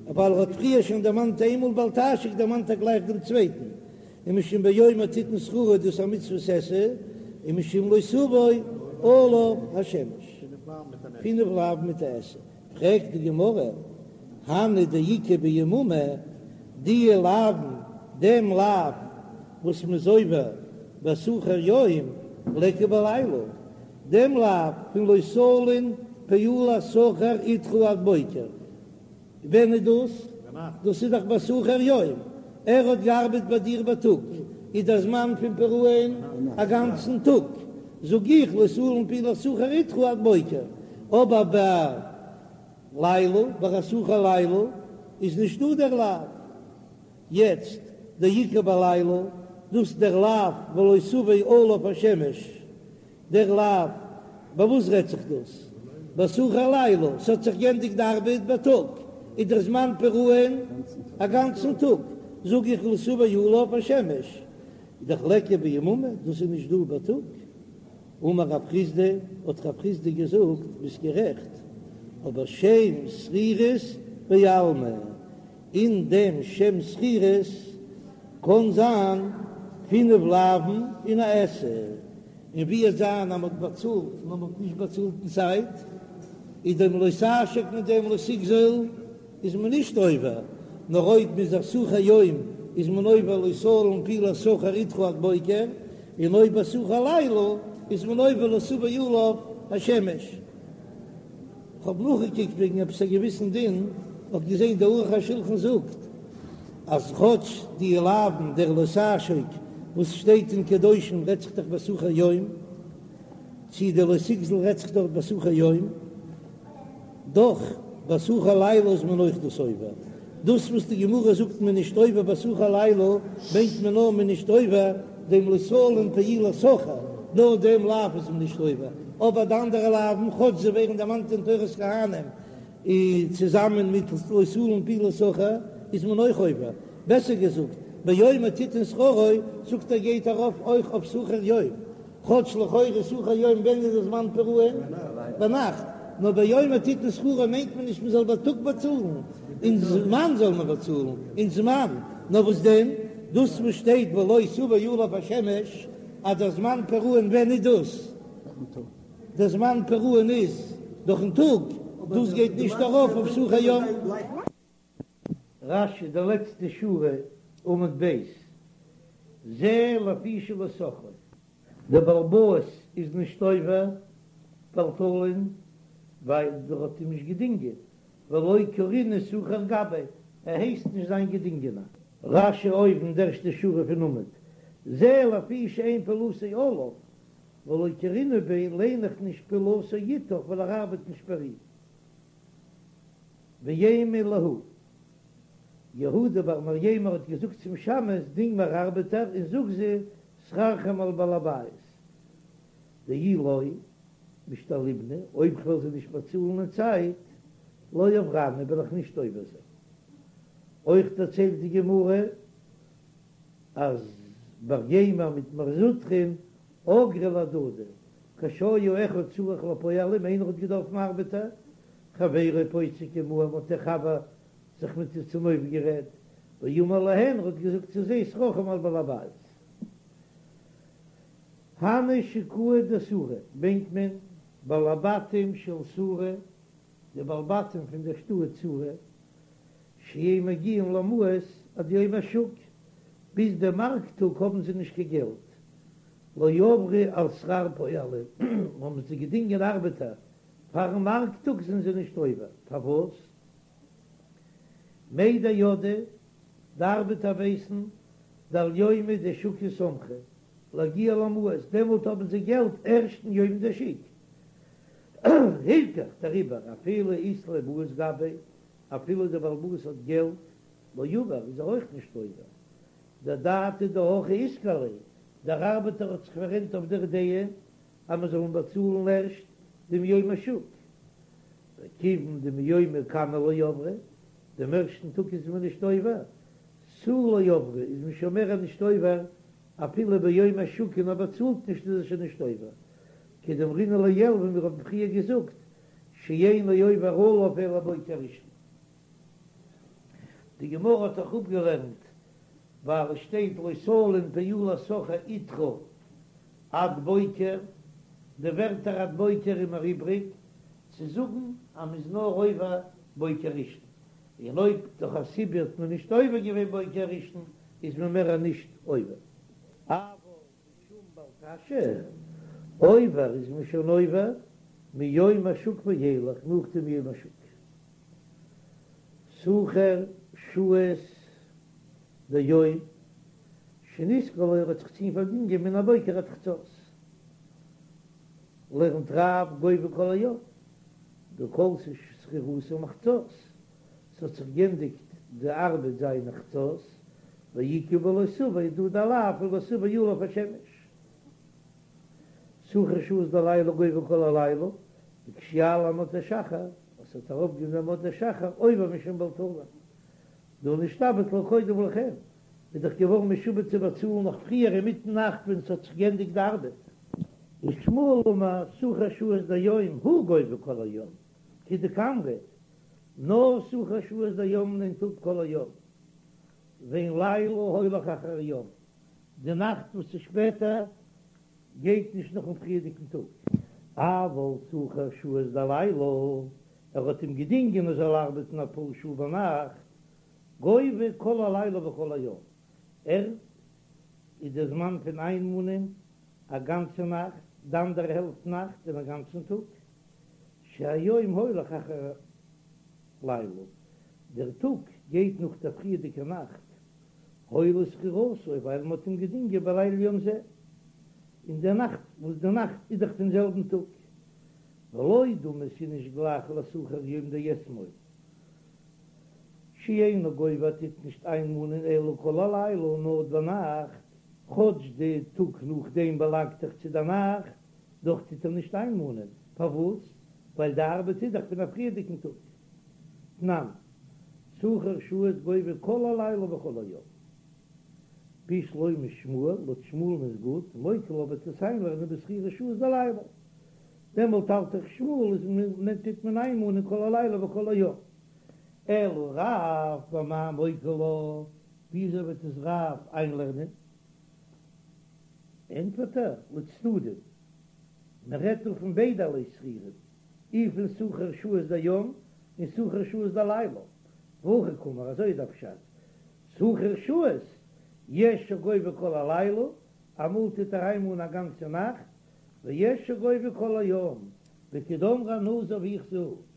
Speaker 1: ווייל ער האט פריער שוין דערמאנט איינמאל בל תעשוק דערמאנט ער גלייך דעם צווייטן, און משום ביומו תתן שכרו דאס א מצוות עשה, און משום לא תבוא עליו השמש. פינף לאוין מיט א עשה. פרעגט די גמרא, הני דאיכא ביממא, די לאוין, דעם לאו וואס מ'איז עובר בשכיר יום ליכא בלילה, דעם לאו פון לא תלין פעולת שכיר אתך עד בוקר, ווען איז דאס? דאס איז דאך בשכיר יום, ער האט געארבעט ביי דיר בייטאג, איז דער זמן פון פרעון א גאנצן טאג, זאג איך לא תלין פעולת שכיר אתך עד בוקר, אבער בלילה, ביי א שכיר לילה איז נישט דא דער לאו. יעצט דאיכא בלילה, דאס דער לאו ולא תבוא עליו השמש, דער לאו, ביי וואס רעדט זיך דאס? בשכיר לילה, ס'האט זיך גענדיגט די ארבעט בייטאג, איז דער זמן פרעון א גאנצן טאג, זאג איך לא תבוא עליו השמש, איז דאך ליכא ביממא, דאס איז נישט דא בייטאג. אמר רב חסדא, האט רב חסדא געזאגט, ביסט גערעכט, אבער שם שכירות בעלמא, אין דעם שם שכירות קען זיין פינף לאוין און א עשה, און ווי וועט זיין אז מ'האט באצאלט נאר מ'האט נישט באצאלט אין צייט, איז דעם לא תעשוק מיט דעם לא תגזול איז מען נישט עובר, נאר אויב מ'איז א שכיר יום איז מען עובר לא תלין פעולת שכיר אתך עד בוקר, און אויב א שכיר לילה איז מען עובר לא תבוא עליו השמש. כ'האב נאכגעקוקט וועגן עפעס א געוויסן דין, האב געזען דער ערוך השולחן זאגט אז כאטש די לאוין דער לא תעשוק וואס שטייט אין קדושים רעדט זיך דאך בשכיר יום, צי דער לא תגזול רעדט זיך דארט בשכיר יום, דאך בשכיר לילה איז מען אויך דאס עובר. דאס וואס די גמרא זאגט מען נישט עובר בשכיר לילה מיינט מען נאר מען נישט עובר דעם לא תלין פעולת שכיר, נאר דעם לאו איז מען נישט עובר, אבער די אנדערע לאווין כאטש זיי ווערן דערמאנט אין תורת כהנים צוזאמען מיט לא תלין פעולת שכיר איז מען אויך עובר, בעסער געזאגט ביומו תתן שכרו זאגט ער גייט ארויף אויך אויף שכיר יום. כאטש לכאורה שכיר יום ווען איז דער זמן פרעון? ביינאכט, נאר ביומו תתן שכרו מיינט מען נישט מען זאל בייטאג באצאלן, אין זמן זאל מען באצאלן, אין זמן, נאר וואס דען דאס וואס שטייט ולא תבוא עליו השמש אז דער זמן פרעון ווען איז דאס? דער זמן פרעון איז דורכן טאג, דאס גייט נישט ארויף אויף שכיר יום. רש"י די לעצטע שורה עמוד ב', זה לפי שלא שכרו. דער בעל הבית איז נישט עובר בל תלין ווייל ער האט אים נישט געדינגען, ולא קרינהו שכיר גביה, ער הייסט נישט זיין געדינגענער. רש"י אויבן די ערשטע שורה פון עמוד, זה לפי שאין פעולתו עליו, ולא קרינהו ביה ליין איך נישט פעולתו אתך ווייל ער ארבעט נישט פאר אים. ואימא להו. יהודה בר מרימר האט געזאגט צום שמש, דינג מיר ארבעטער און זאג זיי, שכרכם על בעל הבית. דאי לא משתלמינא, אויב כ'וועל זיי נישט באצאלן אין צייט, לא עברנא, וועל איך נישט עובר זיין. אויך דערציילט די גמרא אז מרימר מיט מר זוטרא'ן אגרו להדדי, כשהיה אחד צריך לפועלים, איינער האט געדארפן ארבעטער, חברו פוסק עמהם האט דער חבר זיך מיט זיי צונויפגערעדט, ואמר להן ער האט געזאגט צו זיי שכרכם על בעל הבית. הני שקאי דסורא מיינט מען בעלי בתים של סורא, די בעלי בתים פון דער שטאט סורא, שאין מגיעין למעות עד יום השוק, ביז דעם מארק טאג האבן זיי נישט קיין געלט, לא עברו על שכר פועלים, האבן זיי געדינגען ארבעטער פארן מארק טאג זענען זיי נישט עובר, פארוואס? מידע ידעי, די ארבעטער ווייסן, דעל יומא דשוקא סמכי להגיע למעות, דעמאלט האבן זיי געלט ערשטן יום דשוק. הילכך, דעריבער, אפילו אית ליה מעות גביה, אפילו דער בעל הבית האט געלט, לא עבר, איז ער אויך נישט עובר. דאדעתא דהכי איתקר ליה, דער ארבעטער האט זיך פאררענט אויף דער דעה אז מען זאל אים באצאלן ערשט דעם יום השוק. וכיוון דמיומא קמא לא עברי, דעם ערשטן טאג איז מען נישט עובר, תו לא עברי איז מען שוין מער נישט עובר, אפילו ביום השוק און ער באצאלט נישט איז ער שוין נישט עובר, כדאמרינן לעיל ווי מיר האבן פריער געזאגט שאינו עובר עליו אלא בוקר ראשון. די גמרא האט דאך אפגעלערנט ווייל עס שטייט לא תלין פעולת שכיר אתך עד בוקר, די ווערטער עד בוקר איז מיר איבריג צו זאגן אז מ'איז נאר עובר בוקר ראשון, און אויב דורך א סיבה האט מען נישט עובר געווען בוקר ראשון איז מען מער נישט עובר. אבל משום בל תשעה, עובר איז מען שוין עובר מיום השוק ואילך נאך דעם יום השוק. שכיר שעות דיום שנשכר לו ער האט זיך צו אים פארדינגען מן הבוקר עד חצות. לערנט רב גובה כל היום דהא כלתה שכירותו מחצות, ס'האט זיך גענדיגט די ארבעט זיינע חצות, ואיכא בלא תבוא איז דא די לאו פון לא תבוא עליו השמש. שכיר שעות דלילה גובה כל הלילה, וכשיעלה עמוד השחר, אז ס'האט ארויפגעקומען עמוד השחר עובר משום בל תלין, דהא נשתעבד לה קודם לכן, איז דאך געווארן משועבד צו באצאלן נאך פריער אינמיטן נאכט ווען ס'האט זיך גענדיגט די ארבעט. ושמואל אמר שכיר שעות דיום הוא גובה כל היום, כדקאמרת, נאר שכיר שעות דיום נעמט אפ כל היום, ואין לילה הולך אחר יום, די נאכט וואס איז שפעטער גייט נישט נאכן פריערדיגן טאג. אבל שכיר שעות דלילה, ער האט אים געדינגען ער זאל ארבעטן אפאר שעה ביינאכט, גובה כל הלילה וכל היום, ער איז די זמן פון איינמאנען א גאנצע נאכט, די אנדערע העלפט נאכט און א גאנצן טאג, שהיום הולך אחר לילה, דער טאג גייט נאך דער פריערדיגער נאכט, הואיל ושכירותו, ווייל מען האט אים געדינגען בליל יום זה, אין דער נאכט וואס די נאכט איז דאך פון זעלבן טאג, ולא דמי ס'איז נישט גלייך לשכיר יום דאתמול. שאינו גובה טוט נישט איינמאנען אלא כל הלילה נאר ביינאכט, כאטש די טאג נאכדעם באלאנגט דאך צו די נאכט, דאך טוט ער נישט איינמאנען, פארוואס? ווייל די ארבעט איז דאך פון א פריערדיגן טאג. תנן, שכיר שעות גובה כל הלילה וכל היום. בשלמא שמואל, לויט שמואל'ן איז גוט, מוקי לה וועט עס איינלערנען בשכירי שעות דלילה. דעמאלט האלט דאך שמואל אז מען טוט מען איינמאנען כל הלילה וכל היום. אלא רב במאי מוקי לה, וויאזוי וועט עס רב איינלערנען? ענטפערט ער, לצדדים, מען רעדט דא פון ביידע ערליי שכירים, אי פון שכיר שעות דיום און שכיר שעות דלילה, והכי קאמר, אזוי איז דער פשט, שכיר שעות, יש שגובה כל הלילה, אמאל טוט ער איינמאנען א גאנצע נאכט, ויש שגובה כל היום, וכדאמרי אנא אזוי ווי איך זאג.